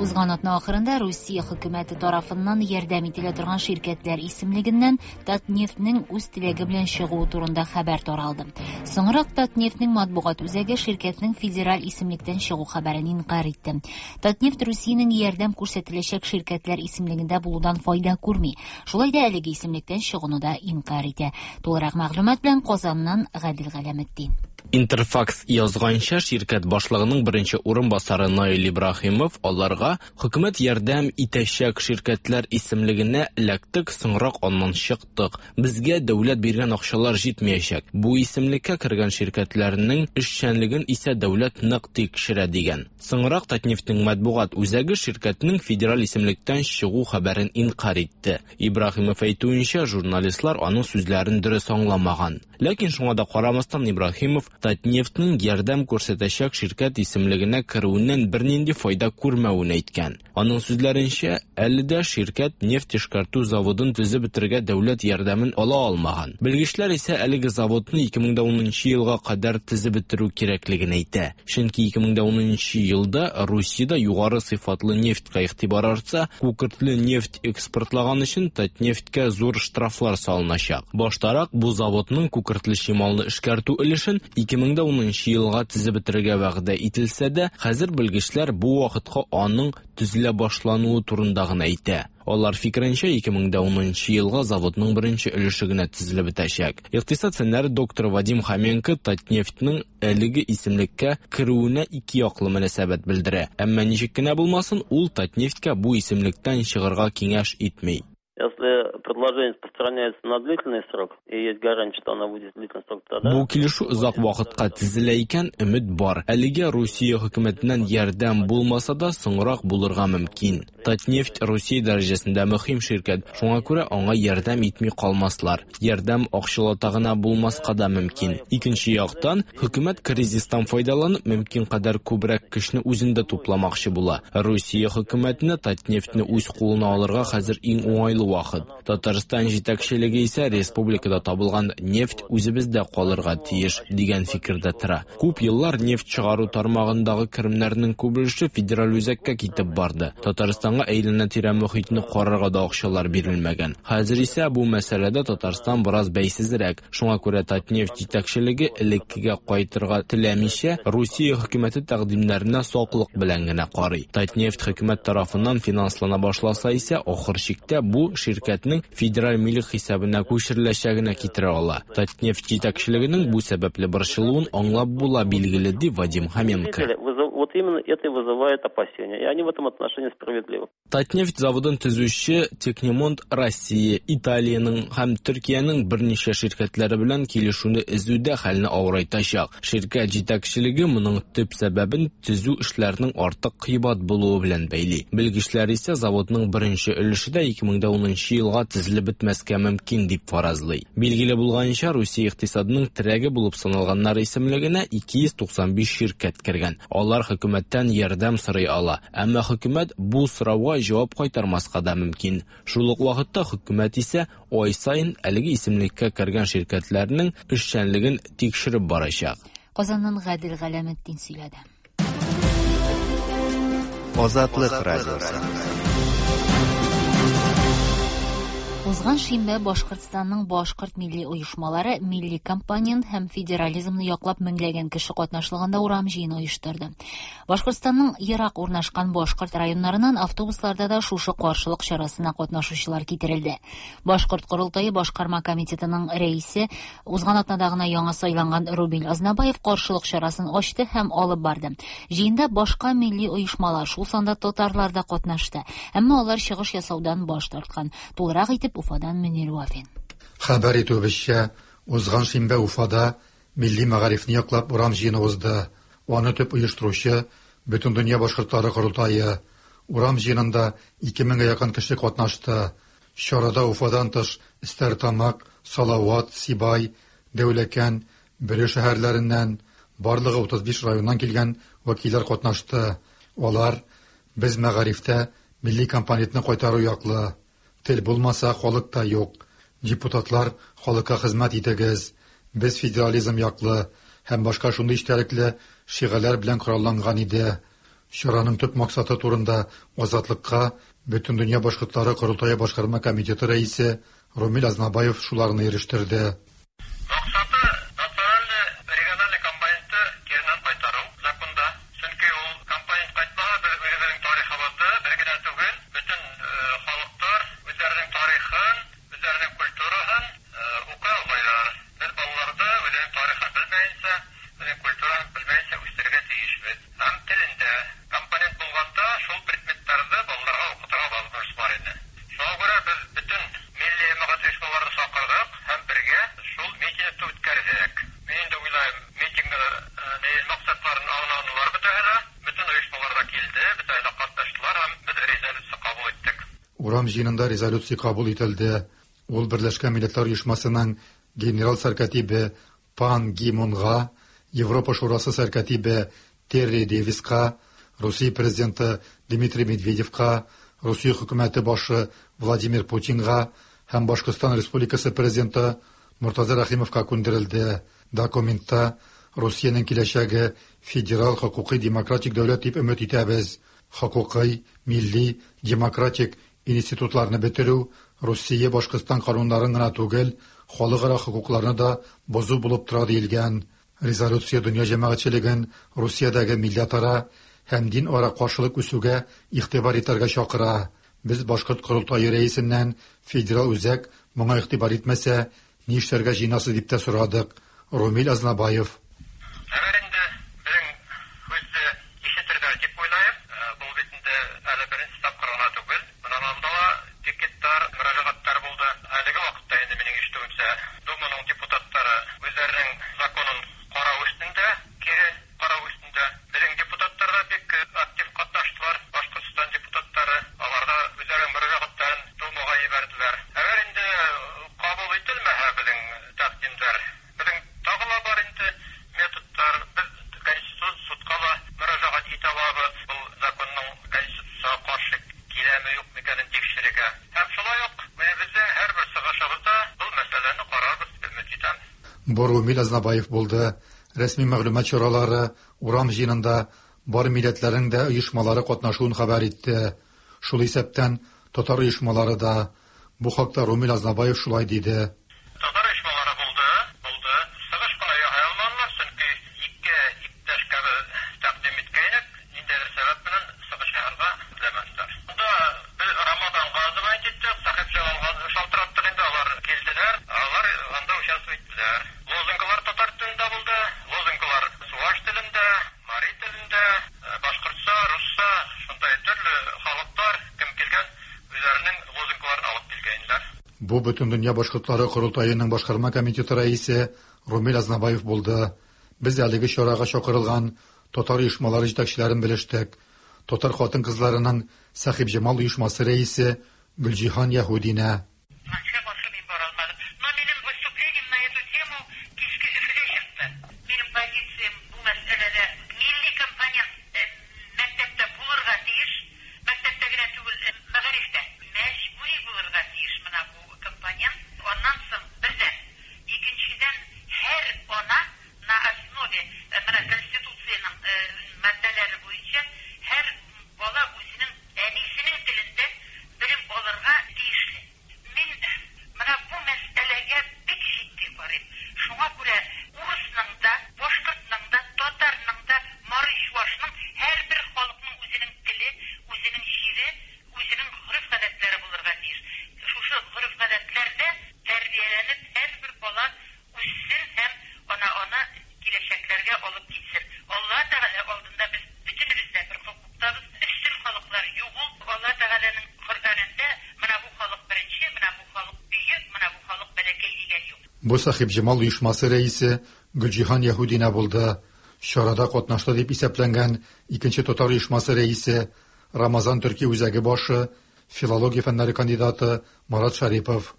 Узган атна ахырында Русия хөкүмәте тарафыннан ярдәм ителә торган ширкәтләр исемлегеннән Татнефтьнең үз теләге белән чыгуы турында хәбәр таралды. Соңрак Татнефтьнең матбугат үзәге ширкәтнең федераль исемлектән чыгу хәбәрен инкарь итте. Татнефть Русиянең ярдәм күрсәтеләчәк ширкәтләр исемлегендә булудан файда күрми. Шулай да әлеге исемлектән чыгуны да инкарь итә. Тулырак мәгълүмат белән Казаннан Гадил Галәметдин. Интерфакс язганча, ширкәт башлыгының беренче урынбасары Наил Ибраһимов аларга хөкүмәт ярдәм итәчәк ширкәтләр исемлегенә эләктек, соңрак аннан чыктык. Безгә дәүләт биргән акчалар җитмәячәк. Бу исемлеккә кергән ширкәтләрнең эшчәнлеген исә дәүләт нык тикшерә дигән. Соңрак Татнефтьнең матбугат үзәге ширкәтнең федераль исемлектән чыгу хәбәрен инкарь итте. Ибраһимов әйтүенчә, журналистлар аның сүзләрен дөрес аңламаган. Ләкин шуңа да карамастан Ибраһимов Татнефтьнең ярдәм күрсәтәчәк ширкәт исемлегенә керүеннән бернинди файда күрмәвен әйткән. Аның сүзләренчә, әле дә ширкәт нефть эшкәртү заводын төзеп бетерергә дәүләт ярдәмен ала алмаган. Белгечләр исә әлеге заводны 2010 елга кадәр төзеп бетерү кирәклеген әйтә. Чөнки 2010 елда Русиядә югары сыйфатлы нефтькә игътибар артса, күкертле нефть экспортлаган өчен Татнефтькә зур штрафлар салыначак. Баштарак бу заводның күкертле чималны эшкәртү өлешен 2010 елга төзеп бетерергә вәгъдә ителсә дә, хәзер белгечләр бу вакытка аның төзелә башлануы турында гына әйтә. Алар фикеренчә, 2010 елга заводның беренче өлеше генә төзелеп бетәчәк. Икътисад фәннәре докторы Вадим Хоменко Татнефтьнең әлеге исемлеккә керүенә ике яклы мөнәсәбәт белдерә. Әмма ничек кенә булмасын, ул Татнефтькә бу исемлектән чыгарга киңәш итми. Если предложение распространяется на длительный срок, и есть гарантия, что оно будет длительный срок, тогда... Бу килешү озак вакытка төзелә икән, өмет бар. Әлегә Русия хөкүмәтеннән ярдәм булмаса да, соңрак булырга мөмкин. Татнефть Русия дәрәҗәсендә мөһим ширкәт, шуңа күрә аңа ярдәм итми калмаслар. Ярдәм акчалата гына булмаска да мөмкин. Икенче яктан, хөкүмәт кризистан файдаланып, мөмкин кадәр күбрәк көчне үзендә тупламакчы була. Русия хөкүмәтенә Татнефтьне үз кулына алырга хәзер иң уңайлы вакыт. Татарстан җитәкчелеге исә республикада табылган нефть үзебездә калырга тиеш дигән фикердә тора. Күп еллар нефть чыгару тармагындагы керемнәрнең күп өлеше федераль үзәккә китеп барды. Татарстанга әйләнә-тирә мохитне карарга да акчалар бирелмәгән. Хәзер исә бу мәсьәләдә Татарстан бераз бәйсезрәк. Шуңа күрә Татнефть җитәкчелеге элеккегә кайтырга теләмичә, Русия хөкүмәте тәкъдимнәренә саклык белән генә карый. Татнефть хөкүмәт тарафыннан финанслана башласа исә, ахыр чиктә бу ширкәтнең федераль милек хисабына күчереләчәгенә китерә ала. Татнефть җитәкчелегенең бу сәбәпле борчылуын аңлап була, билгеле, ди Вадим Хоменко. Вот именно это и вызывает опасения, и они в этом отношении справедливы. Татнефть заводын төзүче Технимонт Россия, Италиянең һәм Төркиянең берничә ширкәтләре белән килешүне өзү дә хәлне авырайтачак. Ширкәт җитәкчелеге моның төп сәбәбен төзү эшләренең артык кыйбат булуы белән бәйли. Белгечләр исә заводның беренче өлеше дә 2010 елга төзелеп бетмәскә мөмкин дип фаразлый. Билгеле булганча, Русия икътисадының терәге булып саналганнар исемлегенә 295 ширкәт кергән. Алар хөкүмәттән ярдәм сорый ала. Әмма хөкүмәт бу сорауга җавап кайтармаска да мөмкин. Шул ук вакытта хөкүмәт исә ай саен әлеге исемлеккә кергән ширкәтләрнең эшчәнлеген тикшереп барачак. Казаннан Гадил Галәметдин сөйләде. Азатлык радиосы. Узган шимбә Башкортстанның башкорт милли оешмалары милли компонент һәм федерализмны яклап меңләгән кеше катнашлыгында урам җыены оештырды. Башкортстанның ерак урнашкан башкорт районнарыннан автобусларда да шушы каршылык чарасына катнашучылар китерелде. Башкорт корылтае башкарма комитетының рәисе узган атнада гына яңа сайланган Рубиль Азнабаев каршылык чарасын ачты һәм алып барды. Җыенда башка милли оешмалар, шул санда татарлар да катнашты. Әмма алар чыгыш ясаудан баш тарткан. Тулырак итеп Уфадан Мөнир Вафин. Хәбәр итүебезчә, узган шимбә Уфада милли мәгарифне яклап урам җыены узды. Аны төп оештыручы Бөтендөнья башкортлары корылтае. Урам җыенында 2000гә якын кеше катнашты. Чарада Уфадан тыш Стәрлетамак, Салават, Сибай, Дәүләкән, Бөре шәһәрләреннән, барлыгы 35 районнан килгән вәкилләр катнашты. Алар без мәгарифтә милли компонентны кайтару яклы. Тел булмаса, халык та юк. Депутатлар, халыкка хезмәт итегез. Без федерализм яклы һәм башка шундый эчтәлекле шигарьләр белән коралланган иде. Чараның төп максаты турында Азатлыкка Бөтендөнья башкортлары корылтае башкарма комитеты рәисе Румил Азнабаев шуларны ирештерде. Максаты национальный региональный компонентны киреннән кайтару законда. Чөнки ул компонент кайтмаса, без үзебезнең тарихыбызны бер генә түгел, бөтен халыклар үзләренең тарихын, үзләренең культурасын укый алмыйлар. Без балаларны үзенең тарихын белмәенчә, үзенең культурасын белмәенчә үстерергә тиешбез. Һәм телендә компонент булганда шул предметларны балаларга укытырга возможность бар иде. Шуңа күрә без бөтен милли мәгариф оешмаларын чакырдык һәм бергә шул митингны үткәрдек. Мин инде уйлыйм, митингны максатларын аңладылар бөтәһе дә, бөтен оешмалар да килде, бөтәһе дә катнаштылар һәм без резолюция кабул иттек. Урам җыенында резолюция кабул ителде. Ул Берләшкән Милләтләр Оешмасының генерал сәркатибе Пан Ги Мунга, Европа Шурасы сәркатибе Терри Дэвиска, Русия президенты Дмитрий Медведевка, Русия хөкүмәте башы Владимир Путинга һәм Башкортстан Республикасы президенты Мортаза Рәхимовка күндерелде. Документта Русиянең киләчәге федерал хокукый демократик дәүләт дип өмет итәбез. Хокукый, милли, демократик институтларны бетерү Русия Башкортстан кануннарын гына түгел, халыкара хокукларны да бозу булып тора диелгән. Резолюция дөнья җәмәгатьчелеген Русиядәге милләтара һәм дин ара каршылык үсүгә игътибар итәргә чакыра. Без башкорт корылтае рәисеннән федерал үзәк моңа игътибар итмәсә, ни эшләргә җыенасыз дип тә сорадык. Румил Азнабаев. Әгәр инде безнең һүзне ишетердәр дип уйлыйм. Бу бит инде әле беренче тапкыр гына түгел. Моннан алда да пикетлар, мөрәҗәгатьләр булды. Әлеге вакытта инде минем ишетүемчә, Думаның депутатлары үзләренең законын карау өстендә, кире карау өстендә. Безнең депутатлар да бик актив катнаштылар. Башкортстан депутатлары, алар да үзләренең мөрәҗәгатьләрен Думага җибәрделәр. Әгәр инде кабул ителмәһә безнең тәкъдимнәр, безнең тагы ла бар инде методлар. Без Конституцион судка ла мөрәҗәгать итә алабыз. Бу законның Конституциягә каршы киләме, юкмы икәнен тикшерергә. Һәм шулай ук үзебезнең һәрбер чыгышыбызда был мәсьәләне карарбыз дип өмет итәм. Бу Румил Азнабаев булды. Рәсми мәгълүмат чаралары урам җыенында бар милләтләрнең дә оешмалары катнашуын хәбәр итте. Шул исәптән татар оешмалары да. Бу хакта Румил Азнабаев шулай диде. Татар оешмалары булды, булды. Чыгыш кына ясый алмадылар, чөнки ике иптәшкә без тәкъдим иткәйнек, ниндидер сәбәп белән чыгыш ясарга теләмәделәр. Монда без Рамаданга звонить иттек, Сәхибҗамалга шалтыраттык инде, алар килделәр, алар анда участвовать иттеләр. Лозунглар татар телендә булды, лозунглар чуаш телендә, мари телендә, башкортча, русча, шундай төрле халыклар кем килгән, үзләренең лозунгларын алып килгәннәр. Бу Бөтендөнья башкортлары корылтаеның башкарма комитеты рәисе Румил Азнабаев булды. Без әлеге чарага чакырылган татар оешмалары җитәкчеләрен белештек. Татар хатын-кызларының Сәхибҗамал оешмасы рәисе Гөлҗиһан Яһудина. Кызганычка каршы мин бара алмадым. Но минем выступлением на эту тему кичке Өфедә чыкты. Минем позициям бу мәсьәләдә милли компонент мәктәптә булырга тиеш. Мәктәптә генә түгел, мәгарифтә мәҗбүри булырга тиеш менә бу компонент. Аннан соң бердән, икенчедән һәр ана на основе менә Конституциянең маддәләре буенча һәр бала үзенең әнисенең телендә белем алырга тиешле. Мин менә бу мәсьәләгә бик җитди карыйм. Шуңа күрә урысның да, башкортның да, татарның да, мари чуашның һәрбер халыкның үзенең теле, үзенең җире, үзенең гореф-гадәтләре булырга тиеш. Шушы гореф-гадәтләрдә тәрбияләнеп һәрбер бала үссен һәм ана аны киләчәкләргә алып китсен. Алла Тәгалә алдында без бөтенебез дә бер хокуктабыз. Өстен халыклар юк ул. Алла Тәгаләнең Коръәнендә менә бу халык беренче, менә бу халык бөек, менә бу халык бәләкәй дигән юк. Бу Сәхибҗамал оешмасы рәисе Гөлҗиһан Яһүдина булды. Чарада катнашты дип исәпләнгән икенче татар оешмасы рәисе, Рамазан төрки үзәге башы, филология фәннәре кандидаты Марат Шәрипов.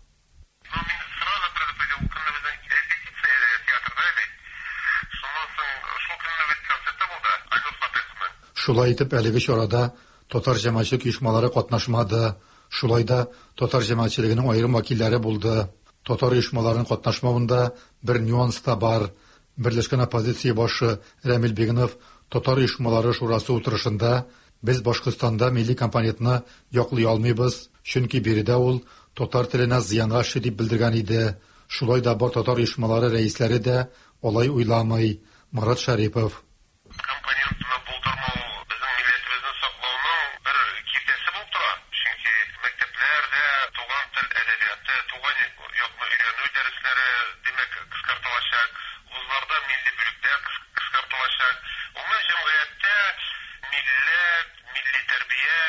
Шулай итеп, әлеге чарада татар җәмәгатьчелек оешмалары катнашмады. Шулай да татар җәмәгатьчелегенең аерым вәкилләре булды. Татар оешмаларының катнашмавында бер нюанс та бар. Берләшкән оппозиция башы Рәмил Бигнов татар оешмалары шурасы утырышында без Башкортстанда милли компонентны яклый алмыйбыз, чөнки биредә ул татар теленә зыянга эшли дип белдергән иде. Шулай да бар татар оешмалары рәисләре дә алай уйламый. Марат Шәрипов. Компонентны булдырмау безнең милләтебезне саклауның бер киртәсе булып тора. Чөнки мәктәпләрдә туган тел әдәбияты, туган якны өйрәнү дәресләре, димәк, кыскартылачак, вузларда милли бүлекләр кыскартылачак. Гомумән, җәмгыятьтә милләт, милли тәрбия,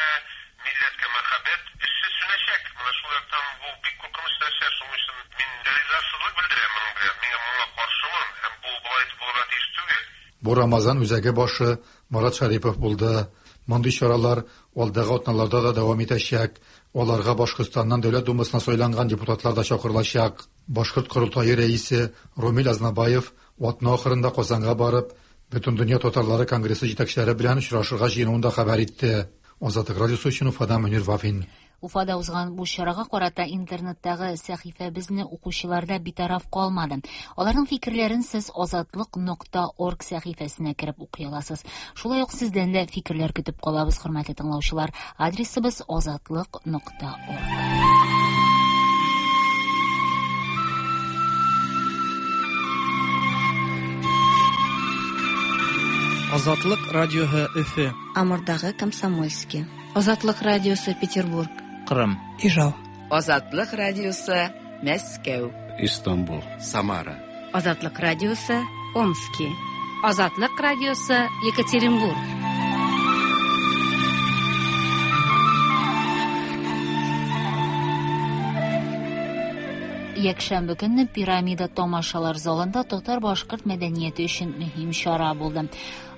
милләткә мәхәббәт эшсез сүнәчәк. Менә шул яктан бу бик куркыныч нәрсә. Шуның өчен мин ризасызлык белдерәм моның белән. Мин моңа каршымын һәм бу болай итеп булырга тиеш түгел. Бу Рамазан үзәге башы Марат Шәрипов булды. Мондый чаралар алдагы атналарда да дәвам итәчәк. Аларга Башкортстаннан Дәүләт Думасына сайланган депутатлар да чакырылачак. Башкорт корылтае рәисе Румил Азнабаев атна ахырында Казанга барып, Бөтендөнья татарлары конгрессы җитәкчеләре белән очрашырга җыенуын да хәбәр итте. Азатлык радиосы өчен Уфадан Мөнир Вафин. Уфада узган бу чарага карата интернеттагы сәхифәбезне укучылар да битараф калмады. Аларның фикерләрен сез азатлык нокта орг сәхифәсенә кереп укый аласыз. Шулай ук сездән дә фикерләр көтеп калабыз, хөрмәтле тыңлаучылар. Адресыбыз азатлык нокта орг. Азатлык радиоһы Өфе. Амурдагы Комсомольский. Азатлык радиосы Петербург. Кырым. Ижау. Азатлык радиосы Мәскәү. Истанбул. Самара. Азатлык радиосы Омски. Азатлык радиосы Екатеринбург. Якшәмбе көнне Пирамида тамашалар залында татар-башкорт мәдәнияте өчен мөһим чара булды.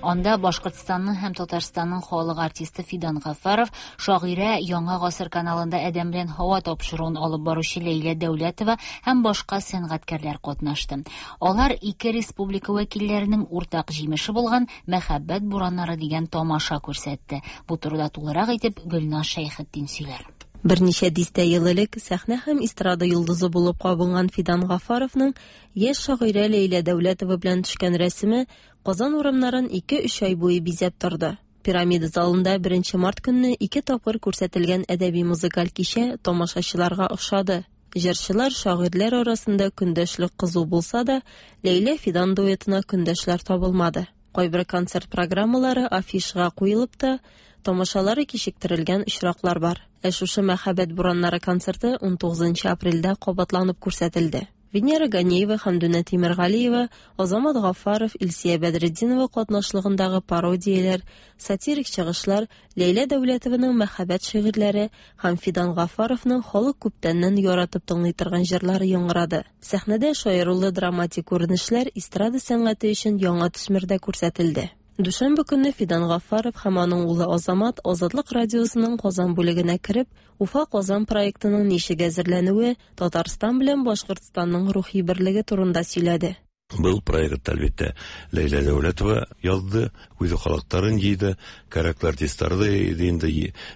Анда Башкортстанның һәм Татарстанның халык артисты Фидан Гафаров, шагыйрә Яңа гасыр каналында Адәм белән һава тапшыруын алып баручы Ләйлә Дәүләтова һәм башка сәнгатькәрләр катнашты. Алар ике республика вәкилләренең уртак җимеше булган Мәхәббәт бураннары дигән тамаша күрсәтте. Бу турыда тулырак итеп Гөлназ Шәйхетдин сөйләр. Берничә дистә ел элек сәхнә һәм эстрада йолдызы булып кабынган Фидан Гафаровның яшь шагыйрә Ләйлә Дәүләтова белән төшкән рәсеме Казан урамнарын 2-3 ай буе бизәп торды. Пирамида залында 1 март көнне ике тапкыр күрсәтелгән әдәби музыкаль кичә тамашачыларга ошады. Җырчылар, шагыйрьләр арасында көндәшлек кызу булса да, Ләйлә Фидан дуэтына көндәшләр табылмады. Кайбер концерт программалары афишага куелып та, тамашалары кичектерелгән очраклар бар. Ә шушы Мәхәббәт бураннары концерты 19 апрельдә кабатланып күрсәтелде. Венера Ганеева, Хәмдүнә Тимергалиева, Азамат Гафаров, Илсия Бәдретдинова катнашлыгындагы пародияләр, сатирик чыгышлар, Ләйлә Дәүләтованың мәхәббәт шигырьләре һәм Фидан Гафаровның халык күптәннән яратып тыңлый торган җырлары яңгырады. Сәхнәдә шаярулы драматик күренешләр эстрада сәнгате өчен яңа төсмердә күрсәтелде. Дүшәмбе көнне Фидан Гафаров һәм аның улы Азамат Азатлык радиосының Казан бүлегенә кереп, Уфа Казан проектының ничек әзерләнүе, Татарстан белән Башкортстанның рухи берлеге турында сөйләде. Был проект, әлбәттә, Ләйлә Дәүләтова язды, үзе халыкларын җыйды, кәрәкле артистларды иде инде,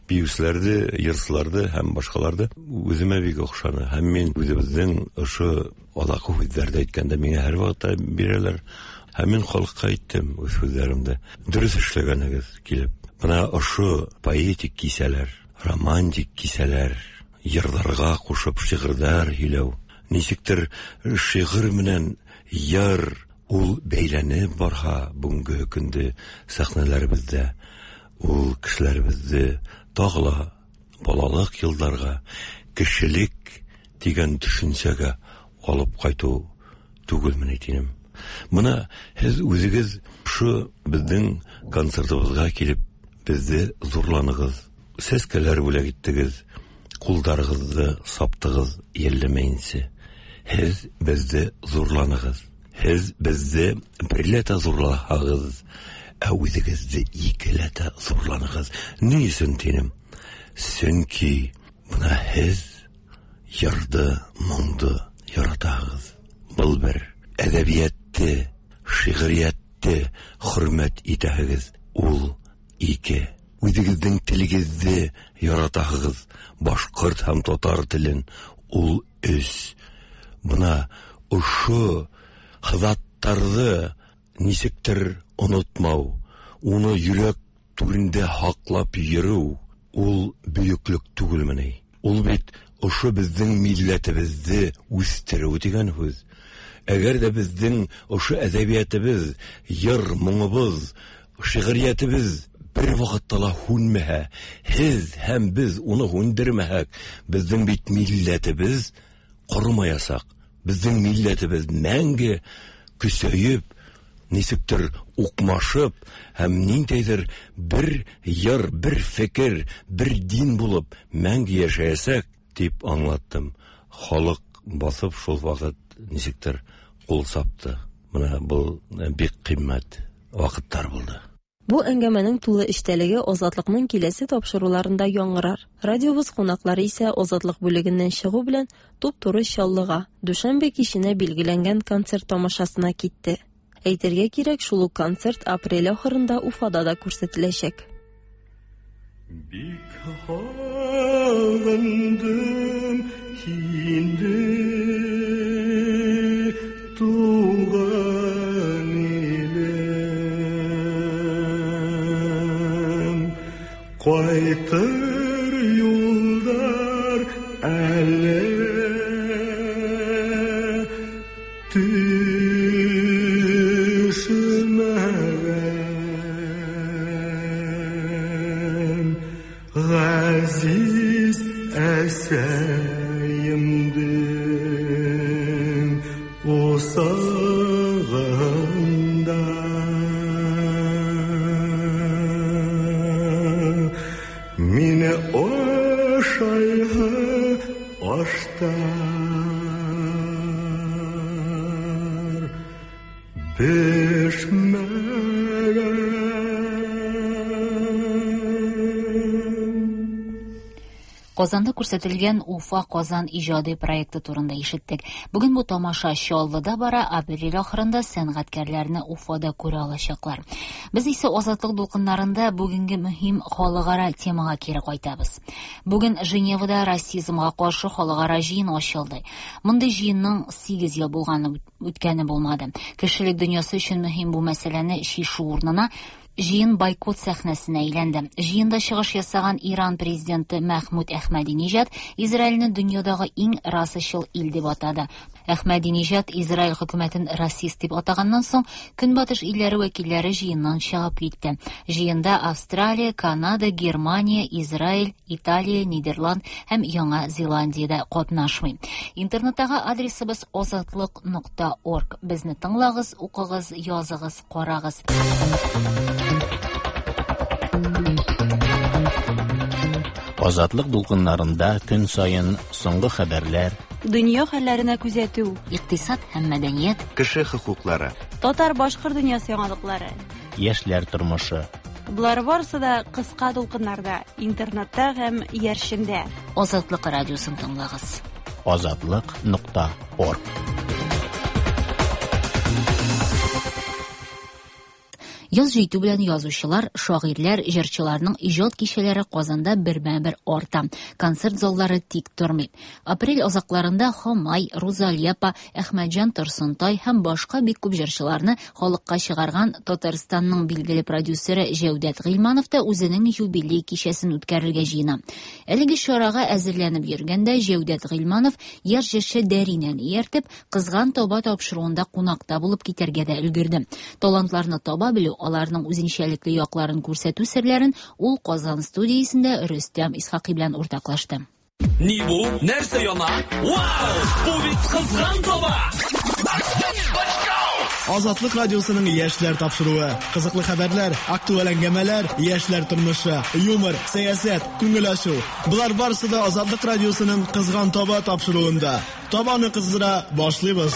биючеләрде, йырчыларды һәм башкаларды. Үземә бик охшаны. Һәм мин үзебезнең ошо алакы һүзләрде әйткәндә миңа һәрвакытта бирәләр. Һәм мин халыкка әйттем үз һүзләремдә. Дөрес эшләгәнегез килеп. Менә ошо поэтик кисәләр, романтик кисәләр, йырларга кушып шигырьләр һөйләү. Ничектер шигырь менән йыр ул бәйләнеп барха бүгенге көндә сәхнәләребездә. Ул кешеләребезне тагы ла балалык елларга, кешелек дигән төшенчәгә алып кайту түгелмен әйтинем. Мына һеҙ үҙегеҙ ошо беҙҙең концертыбыҙға килеп беҙҙе ҙурланығыҙ, сәскәләр бүләк иттегеҙ, ҡулдарығыҙҙы саптығыҙ йәлләмәйенсә. Һеҙ беҙҙе ҙурланығыҙ. Һез безне берләтә зурлаһагыз, ә үзегезне икеләтә зурланыгыз. Ни өчен тинем? Чөнки менә һез йырды, моңды яратагыз. Был бер әдәбиятте, шигъриятте хөрмәт итәһегез. Ул ике. Үзегезнең телегезне яратаһыгыз, башкорт һәм татар телен. Ул өч. Бына ошо заттарҙы нисектер онотмау, уны йөрәк түрендә һаҡлап йөрөү, ул бөйөклөк түгелме ни? Ул бит ошо беҙҙең милләтебеҙҙе үҫтереү тигән һүҙ. Әгәр ҙә беҙҙең ошо әҙәбиәтебеҙ, йыр моңобоҙ, шиғриәтебеҙ бер ваҡытта ла һүнмәһә, һеҙ һәм беҙ уны һүндермәһәк, беҙҙең бит милләтебеҙ ҡоромаясаҡ. Беҙҙең милләтебеҙ мәңге көсәйеп, нисектер уҡмашып һәм ниндәйҙер бер йыр, бер фекер, бер дин булып мәңге йәшәйәсәк, тип аңлаттым. Халыҡ баҫып шул ваҡыт нисектер ҡул сапты. Бына был бик ҡиммәт ваҡыттар булды. Бу әңгәмәнең тулы эчтәлеге Азатлыкның киләсе тапшыруларында яңгырар. Радиобыз кунаклары исә Азатлык бүлегеннән чыгу белән туп-туры Чаллыга, дүшәмбе киченә билгеләнгән концерт тамашасына китте. Әйтергә кирәк, шул ук концерт апрель ахырында Уфада да күрсәтеләчәк. Бик һагындым һине, туган илем. Кайтыр юлдар әле төшмәгән. Ғәзиз әсәйемдең усағында. Мине ашайһы аштар бешмәгән. Казанда күрсәтелгән Уфа Казан иҗади проекты турында ишеттек. Бүген бу тамаша Чаллыда бара, апрель ахырында сәнгатькәрләрне Уфада күрә алачаклар. Без исә Азатлык дулкыннарында бүгенге мөһим халыкара темага кире кайтабыз. Бүген Женевада расизмга каршы халыкара җыен ачылды. Мондый җыенның 8 ел булганы үткәне булмады. Кешелек дөньясы өчен мөһим бу мәсьәләне чишү урынына җыен бойкот сәхнәсенә әйләнде. Җыенда чыгыш ясаган Иран президенты Мәхмүд Әхмәдиниҗад Израильне дөньядагы иң расачыл ил дип атады. Әхмәдиниҗад Израиль хөкүмәтен расист дип атаганнан соң, Көнбатыш илләре вәкилләре җыеннан чыгып китте. Җыенда Австралия, Канада, Германия, Израиль, Италия, Нидерланд һәм Яңа Зеландия дә катнашмый. Интернеттагы адресыбыз азатлык.орг. Безне тыңлагыз, укыгыз, языгыз, карагыз. Азатлык дулкыннарында көн саен соңгы хәбәрләр, Дөнья хәлләренә күзәтү, икътисад һәм мәдәният, кеше хокуклары, татар-башкорт дөньясы яңалыклары. Яшьләр тормышы. Болар барысы да кыска дулкыннарда, интернетта һәм иярчендә. Азатлык радиосын тыңлагыз. Азатлык.орг. Яз җитү белән язучылар, шагыйрьләр, җырчыларның иҗат кичәләре Казанда бермә-бер арта. Концерт заллары тик тормый. Апрель азакларында Хамай, Рузалия апа, Әхмәтҗан Торсынтай һәм башка бик күп җырчыларны халыкка чыгарган Татарстанның билгеле продюсеры Җәүдәт Гыйльманов та үзенең юбилей кичәсен үткәрергә җыена. Әлеге чарага әзерләнеп йөргәндә Җәүдәт Гыйльманов яшь җырчы Дәринәне ияртеп, Кызган таба тапшыруында кунакта булып китәргә дә өлгерде. Талантларны таба белү, аларның үзенчәлекле якларын күрсәтү серләрен ул Казан студиясендә Рөстәм Исхакый белән уртаклашты. Ни бу? Нәрсә яна? Вау! Бу бит кызган таба! Азатлык радиосының яшьләр тапшыруы. Кызыклы хәбәрләр, актуаль әңгәмәләр, яшьләр тормышы, юмор, сәясәт, күңел ачу. Болар барысы да Азатлык радиосының Кызган таба тапшыруында. Табаны кыздыра башлыйбыз.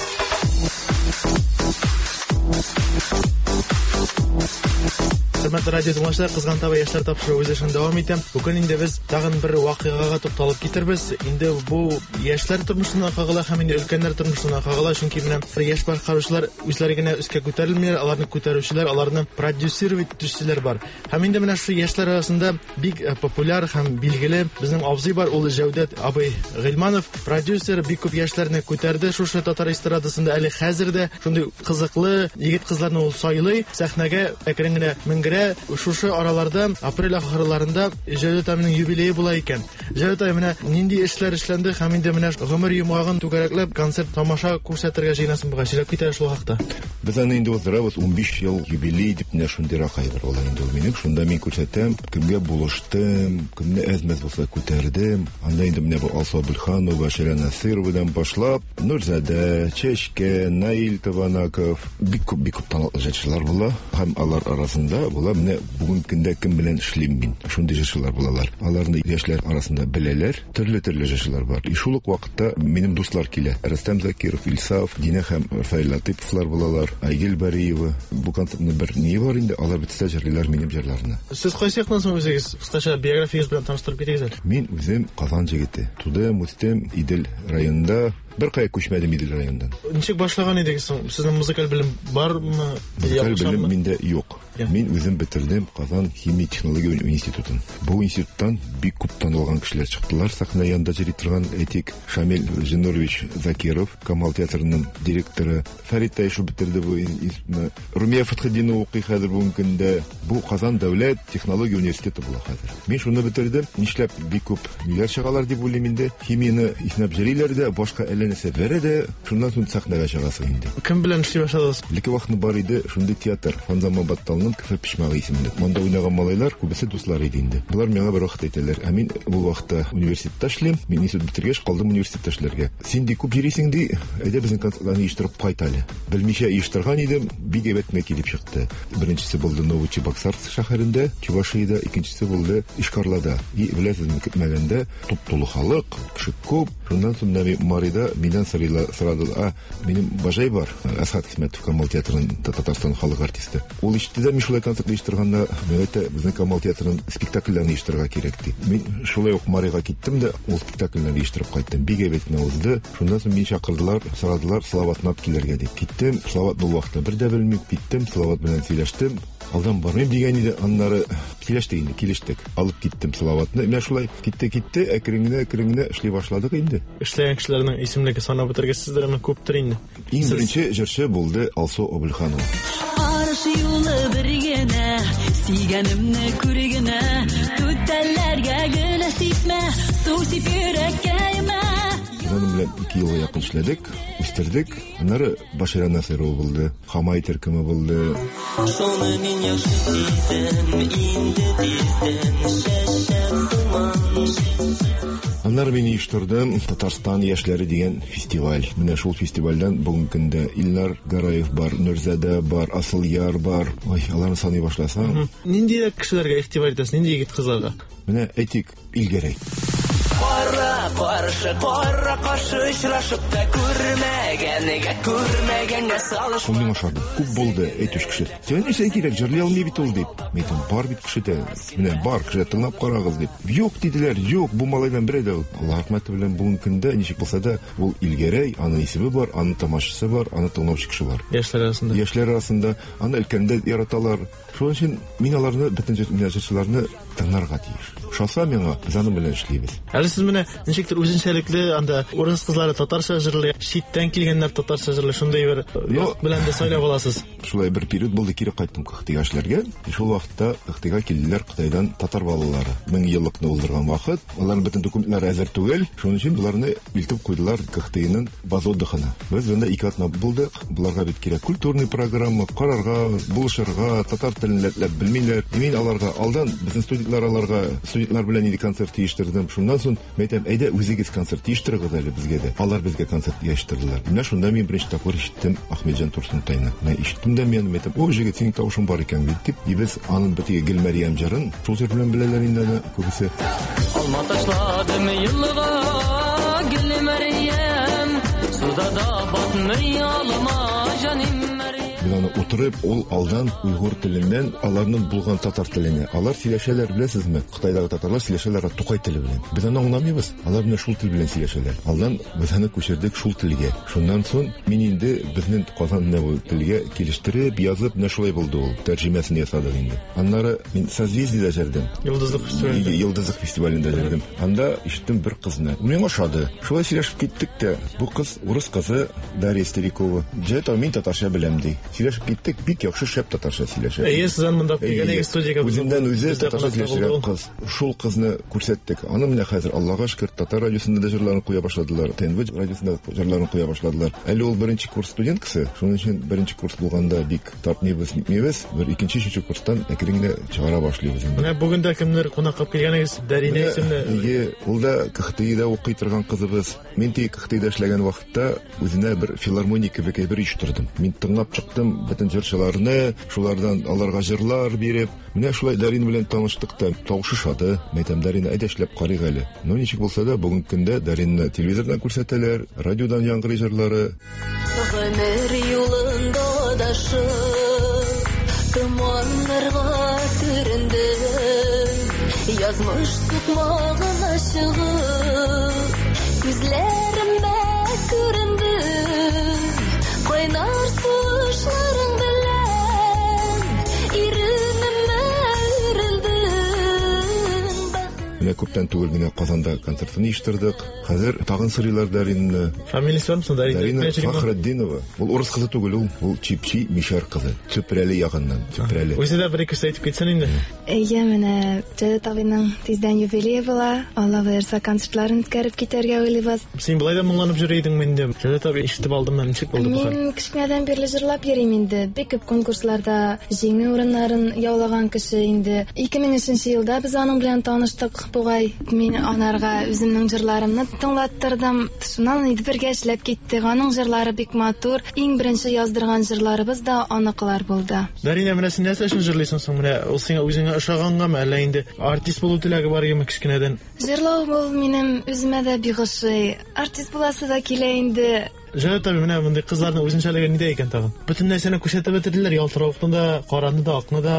Хөрмәтле радио тыңлаучылар, Кызган таба яшьләр тапшыруы үз эшен дәвам итә. Бүген инде без тагын бер вакыйгага тукталып китербез. Инде бу яшьләр тормышына кагыла һәм инде өлкәннәр тормышына кагыла, чөнки менә яшь башкаручылар үзләре генә өскә күтәрелмиләр, аларны күтәрүчеләр, аларны продюсировать итүчеләр бар. Һәм инде менә шушы яшьләр арасында бик э, популяр һәм билгеле безнең абзый бар, ул Җәүдәт абый Гыйльманов, продюсер, бик күп яшьләрне күтәрде шушы татар эстрадасында әле хәзер дә шундый кызыклы егет-кызларны ул сайлый, сәхнәгә әкрен генә менгерә. Шушы араларда апрель ахырларында Җәүдәт абыйның юбилее була икән. Җәүдәт абый, менә нинди эшләр эшләнде һәм инде менә гомер йомгагын түгәрәкләп концерт тамаша күрсәтергә җыенасың бугай. Сөйләп кит әле шул хакта. Без аны инде уздырабыз 15 ел юбилей дип менә шундыйрак әйбер була инде ул минем. Шунда мин күрсәтәм, кемгә булыштым, кемне әз-мәз булса күтәрдем. Анда инде менә бу Алсу Абульханова, Шәрә Насыровадан башлап, Нурзадә, Чәчкә, Наил Табанаков, бик күп, бик күп талантлы җырчылар була. Һәм алар арасында була менә бүгенге көндә кем белән эшлим мин. Шундый җырчылар булалар. Аларны яшьләр арасында беләләр. Төрле-төрле җырчылар бар. И шул ук вакытта минем дуслар килә. Рөстәм Закиров, Илсаф, Динә һәм Рафаэль Латыповлар булалар, Айгөл Бариева. Бу концертның бер ние бар инде, алар бөтесе дә җырлыйлар минем җырларны. Сез кайсы яктан соң үзегез? Кыскача биографиягез белән таныштырып китегез әле. Мин үзем Казан җегете. Тудым, үстем Идел районында. Беркая күчмәдем Идел районыннан. Ничек башлаган идегез соң? Сезнең музыкаль белем бармы? Музыкаль белем миндә юк. Мин үзем бетердем Казан химия технология институтын. Бу институттан бик күп танылган кешеләр чыктылар. Сәхнә янында җыри торган, әйтик, Шамил Зиннурович Закиров, Камал театрының директоры, Фәрит Таишев бетерде бу институтны. Румия Фәтхетдинова укый хәзер бүгенге көндә. Бу Казан дәүләт технология университеты була хәзер. Мин шуны бетердем. Нишләп бик күп ниләр чыгалар дип уйлыйм инде. Химияне иснәп җөриләр дә, башка әллә нәрсә бәрә дә, шуннан соң сәхнәгә чыгасың инде. Кем белән эшли башладыгыз? Элекке вакытны бар иде шундый театр, Фанзаман Батталның Кефе почмагы исемле. Монда уйнаган малайлар күбесе дуслар иде инде. Болар миңа бер вакыт әйтәләр, ә мин бу вакытта университетта эшлим, мин институт бетергәч калдым университетта эшләргә. Син ди күп йөрисең ди, әйдә безнең концертларны оештырып кайт әле. Белмичә оештырган идем, бик әйбәт кенә килеп чыкты. Беренчесе булды Новочебоксарск шәһәрендә, Чувашиядә, икенчесе булды Ишкарлада. И беләсезме, көтмәгәндә туп-тулы халык, кеше күп. Шуннан соң менә Марида миннән сорыйлар, сорадылар, а, минем бажай бар, Әсхат Хисмәтов, Камал театрының Татарстан халык артисты. Ул ишетте дә, мин шулай концерт оештырганда, миңа әйтте, безнең Камал театрының спектакльләрен оештырырга кирәк, ди. Мин шулай ук Марига киттем дә, ул спектакльләрне оештырып кайттым. Бик әйбәт кенә узды. Шуннан соң мине чакырдылар, сорадылар, Салаватны алып килергә дип. Киттем, Салават ул вакытта бер дә белмим, киттем, Салават белән сөйләштем. Алдан бармыйм дигән иде, аннары сөйләштек инде, килештек. Алып киттем Салаватны. Менә шулай китте-китте, әкрен генә, әкрен генә эшли башладык инде. Эшләгән кешеләрнең исемлеге санап бетергесездер, әмма күптер инде. Иң беренче җырчы булды Алсу Абульханова. Арыш юлы бер генә, сөйгәнемне күр генә, түтәлләргә генә сипмә, су сип йөрәккәемә. Без аның белән 2 елга якын эшләдек, үстердек. Аннары Башира Насырова булды, Хамай төркеме булды. Шуны мин яхшы сизәм, инде тиздән чәчәк сыман. Аннары мин оештырдым Татарстан яшьләре дигән фестиваль. Менә шул фестивальдән бүгенге көндә Илнар Гараев бар, Нурзадә бар, Асылъяр бар. Ой, аларны саный башласаң. Ниндирәк кешеләргә игътибар итәсез, нинди егет-кызларга? Менә әйтик, Илгәрәй. Кара каршы, кара каршы очрашып та күрмәгәнгә, күрмәгәнгә салыш. Ул миңа ошады. Күп булды әйтүче кеше. Сиңа нәрсә кирәк, җырлый алмый бит ул дип. Мин әйтәм, бар бит кешедә. Менә бар кешедә, тыңлап карагыз дип. Юк диделәр, юк, бу малайдан берәү дә. Аллаһ рәхмәте белән бүгенге көндә ничек булса да ул Илгәрәй, аның исеме бар, аның тамашачысы бар, аны тыңлаучы кеше бар. Яшьләр арасында. Яшьләр арасында аны өлкәннәр яраталар. Шуның өчен мин аларны, бөтен җырчыларны тыңларга тиеш. Ошаса миңа, без аның белән эшлибез. Әле сез менә ничектер үзенчәлекле анда урыс кызлары татарча җырлый, читтән килгәннәр татарча җырлый, шундый бер як белән дә сайлап аласыз. Шулай бер период булды, кире кайттым Кыхтыйга эшләргә. Шул вакытта Кыхтыйга килделәр Кытайдан татар балалары. 1000 еллыкны уздырган вакыт. Аларның бөтен документлары әзер түгел. Шуның өчен боларны илтеп куйдылар Кыхтыйның база отдыхына. Без монда 2 атна булдык. Боларга бит кирәк культурный программа, карарга, булышырга, татар телен рәтләп белмиләр. Мин аларга алдан, безнең студентлар аларга, студентлар белән инде концерт оештырдым. Шуннан соң мин әйтәм, әйдә үзегез концерт оештырыгыз әле безгә дә. Алар безгә концерт оештырдылар. Менә шунда мин беренче тапкыр ишеттем Ахметҗан Турсунтайны. Менә ишеттем дә мин, әйтәм, о, җегет, синең тавышың бар икән бит дип. И без аның бит Гөлмәрьям җырын шул җыр белән беләләр инде аны күбесе. Алма ташладым елга, Гөлмәрьям. Алда да батмый алма җаным. Без аны утырып, ул алдан уйгур теленнән аларның булган татар теленә. Алар сөйләшәләр, беләсезме? Кытайдагы татарлар сөйләшәләр Тукай теле белән. Без аны аңламыйбыз. Алар менә шул тел белән сөйләшәләр. Алдан без аны күчердек шул телгә. Шуннан соң мин инде безнең Казан менә бу телгә килештереп, язып, менә шулай булды ул. Тәрҗемәсен ясадык инде. Аннары мин Созвездиедә җырдым. Йолдызлык фестивалендә. Йолдызлык фестивалендә җырдым. Анда ишеттем бер кызны. Миңа ошады. Шулай сөйләшеп киттек тә. Бу кыз урыс кызы Дарья Старикова. Җәт, мин татарча беләм ди. Сөйләшеп киттек, бик яхшы шәп татарча сөйләшә. Әйе, сез аны монда килгән идегез студиягә. Үзеннән үзе татарча сөйләшә кыз. Шул кызны күрсәттек. Аны менә хәзер Аллага шөкер, татар радиосында да җырларын куя башладылар, ТНВ радиосында җырларын куя башладылар. Әле ул беренче курс студенткасы, шуның өчен беренче курс булганда бик тартмыйбыз, нитмибез. Бер икенче, өченче курстан әкрен генә чыгара башлыйбыз инде. Менә бүген дә кемнәр кунакка килгәнегез? Дәринә исемле. Әйе, ул да КХТИда укый торган кызыбыз. Мин тик КХТИда эшләгән вакытта үзенә бер филармония кебек әйбер оештырдым. Мин тыңлап чыктым бөтен җырчыларны, шулардан аларга җырлар биреп. Менә шулай Дарина белән таныштык та, тавышы шады. Мәйтәм, Дарина, әйдә эшләп карыйк әле. Ну, ничек булса да, бүгенге көндә Даринаны телевизордан күрсәтәләр, радиодан яңгырый җырлары. Гомер юлында адашып, томаннарга төрендем. Язмыш сукмагына чыгып, күзләремә күрендең. Кайнар сулышларың белән иренемә үрелдең. Менә күптән түгел генә Казанда концертын оештырдык. Хәзер тагын сорыйлар Даринаны. Фамилиясе бармы соң Дарина? Дарина Фахретдинова. Ул урыс кызы түгел ул, ул Чипчи мишәр кызы. Чүпрәле ягыннан, Чүпрәле. Үзе дә бер ике сүз әйтеп китсен инде. Әйе, менә Җәүдәт абыйның тиздән юбилее була. Алла боерса, концертларын үткәреп китәргә уйлыйбыз. Син болай да моңланып йөри идеңме инде? Җәүдәт абый ишетеп алдымы, ничек булды бу хәл? Мин кечкенәдән бирле җырлап йөрим инде. Бик күп конкурсларда җиңү урыннарын яулаган кеше инде. 2003 елда без аның белән таныштык бугай. Мин анарга үземнең җырларымны тыңлаттырдым. Шуннан инде бергә эшләп киттек. Аның җырлары бик матур. Иң беренче яздырган җырларыбыз да аныкылар булды. Дарина, менә син нәрсә өчен җырлыйсың соң? Менә ул сиңа үзеңә ошагангамы, әллә инде артист булу теләге бар идеме кечкенәдән? Җырлау ул минем үземә дә бик ошый. Артист буласы да килә инде. Җәүдәт абый, менә мондый кызларның үзенчәлеге нидә икән тагын? Бөтен нәрсәне күрсәтеп бетерделәр, ялтыравыкны да, караны да, акны да.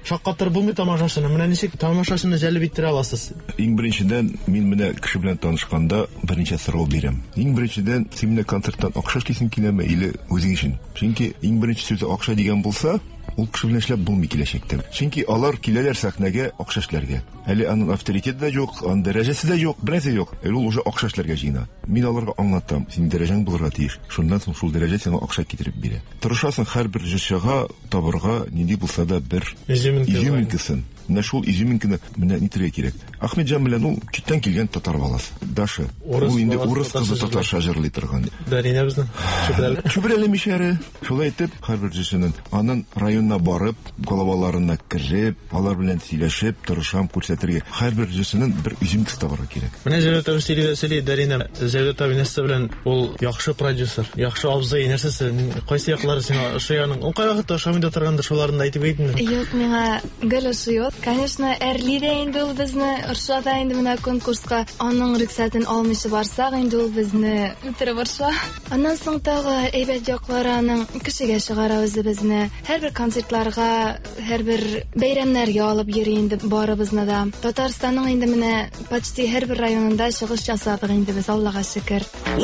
Шаккатырып булмый тамашачыны. Менә ничек тамашачыны җәлеп иттерә аласыз? Иң беренчедән, мин менә кеше белән танышканда берничә сорау бирәм. Иң беренчедән, син менә концерттан акча эшлисең киләме или үзең өчен? Чөнки иң беренче сүзе акча дигән булса, ул кеше белән эшләп булмый киләчәктә. Чөнки алар киләләр сәхнәгә акча эшләргә. Әле аның авторитеты да юк, аның дәрәҗәсе дә юк, бернәрсә юк. Әле ул уже акча эшләргә җыена. Мин аларга аңлатам, синең дәрәҗәң булырга тиеш. Шуннан соң шул дәрәҗә сиңа акча китереп бирә. Тырышасың һәрбер җырчыга табырга нинди булса да бер изюминкасын. Менә шул изюминканы менә нитергә кирәк. Ахмедҗан белән ул читтән килгән татар баласы. Даша. Ул инде урыс кызы татарча җырлый торган. Дарина безнең. Чүпрәле. Чүпрәле мишәре. Шулай итеп, һәрбер җырчының анын районына барып, головаларына кереп, алар белән сөйләшеп, тырышам күрсәтергә. Һәрбер җырчының бер изюминкасы табарга кирәк. Менә Җәүдәт абый сөйли дә сөйли, Дарина. Җәүдәт абый нәрсә белән ул яхшы продюсер, яхшы абзый, нәрсәсе, кайсы яклары сиңа ошый аның? Ул кайвакытта ошамый да торгандыр, шуларын да әйтеп кит инде. Юк, миңа гел ошый ул. Конечно, әрли дә инде ул безне, орыша да инде менә конкурска. Аның рөхсәтен алмыйча барсак, инде ул безне үтереп орыша. Аннан соң тагы әйбәт яклары аның кешегә чыгара үзебезне. Һәрбер концертларга, һәрбер бәйрәмнәргә алып йөри инде барыбызны да. Татарстанның инде менә почти һәрбер районында чыгыш ясадык инде без, Аллага шөкер. Вау!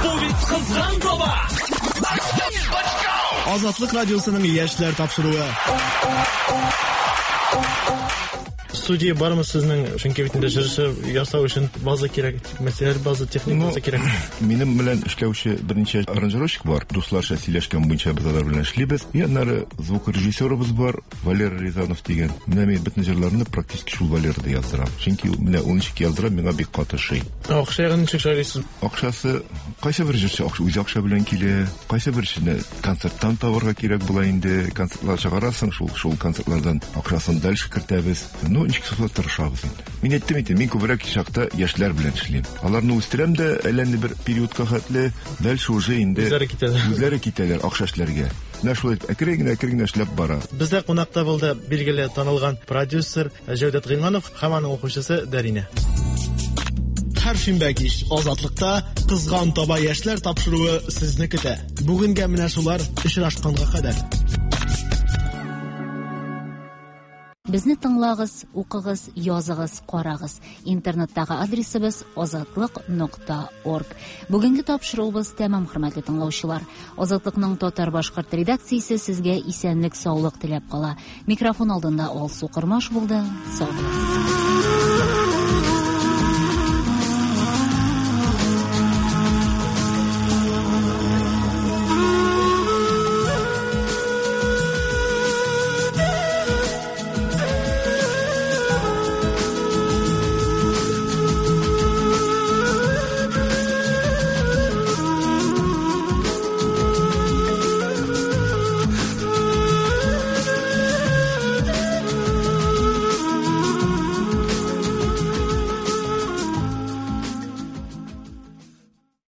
Бу бит кызган таба! Азатлык радиосының яшьләр тапшыруы. Студия бармы сезнең? Чөнки бит инде җырчы ясау өчен база кирәк, материаль база, техник база кирәк. Минем белән эшләүче берничә аранжировщик бар. Дусларча сөйләшкән буенча без алар белән эшлибез. И аннары звукорежиссерыбыз бар, Валера Рязанов дигән. Менә мин бөтен җырларны практически шул Валерада яздырам. Чөнки менә ул ничек яздыра, миңа бик каты ошый. Акча ягын ничек шарлыйсыз? Акчасы кайсы бер җырчы акча үзе акча белән килә, кайсы бер җырчыны концерттан табарга кирәк була инде. Концертлар чыгарасың, шул шул концертлардан акчасын дальше кертәбез. Ну, ничек булса тырышабыз инде. Мин әйттем инде, мин күбрәк чакта яшьләр белән эшлим. Аларны үстерәм дә, әллә ни бер периодка хәтле, дальше уже инде Үзләре китәләр. Үзләре китәләр акча эшләргә. Менә шулай итеп әкрен генә, әкрен генә эшләп бара. Бездә кунакта булды билгеле танылган продюсер Җәүдәт Гыйльманов һәм аның укучысы Дәринә. Һәр шимбә кич Азатлыкта Кызган таба яшьләр тапшыруы сезне көтә. Бүгенгә менә шулар, очрашканга кадәр. Безне тыңлагыз, укыгыз, языгыз, карагыз. Интернеттагы адресыбыз азатлык нокта орг. Бүгенге тапшыруыбыз тәмам, хөрмәтле тыңлаучылар. Азатлыкның татар-башкорт редакциясе сезгә исәнлек-саулык теләп кала. Микрофон алдында Алсу Кормаш булды. Сау булыгыз.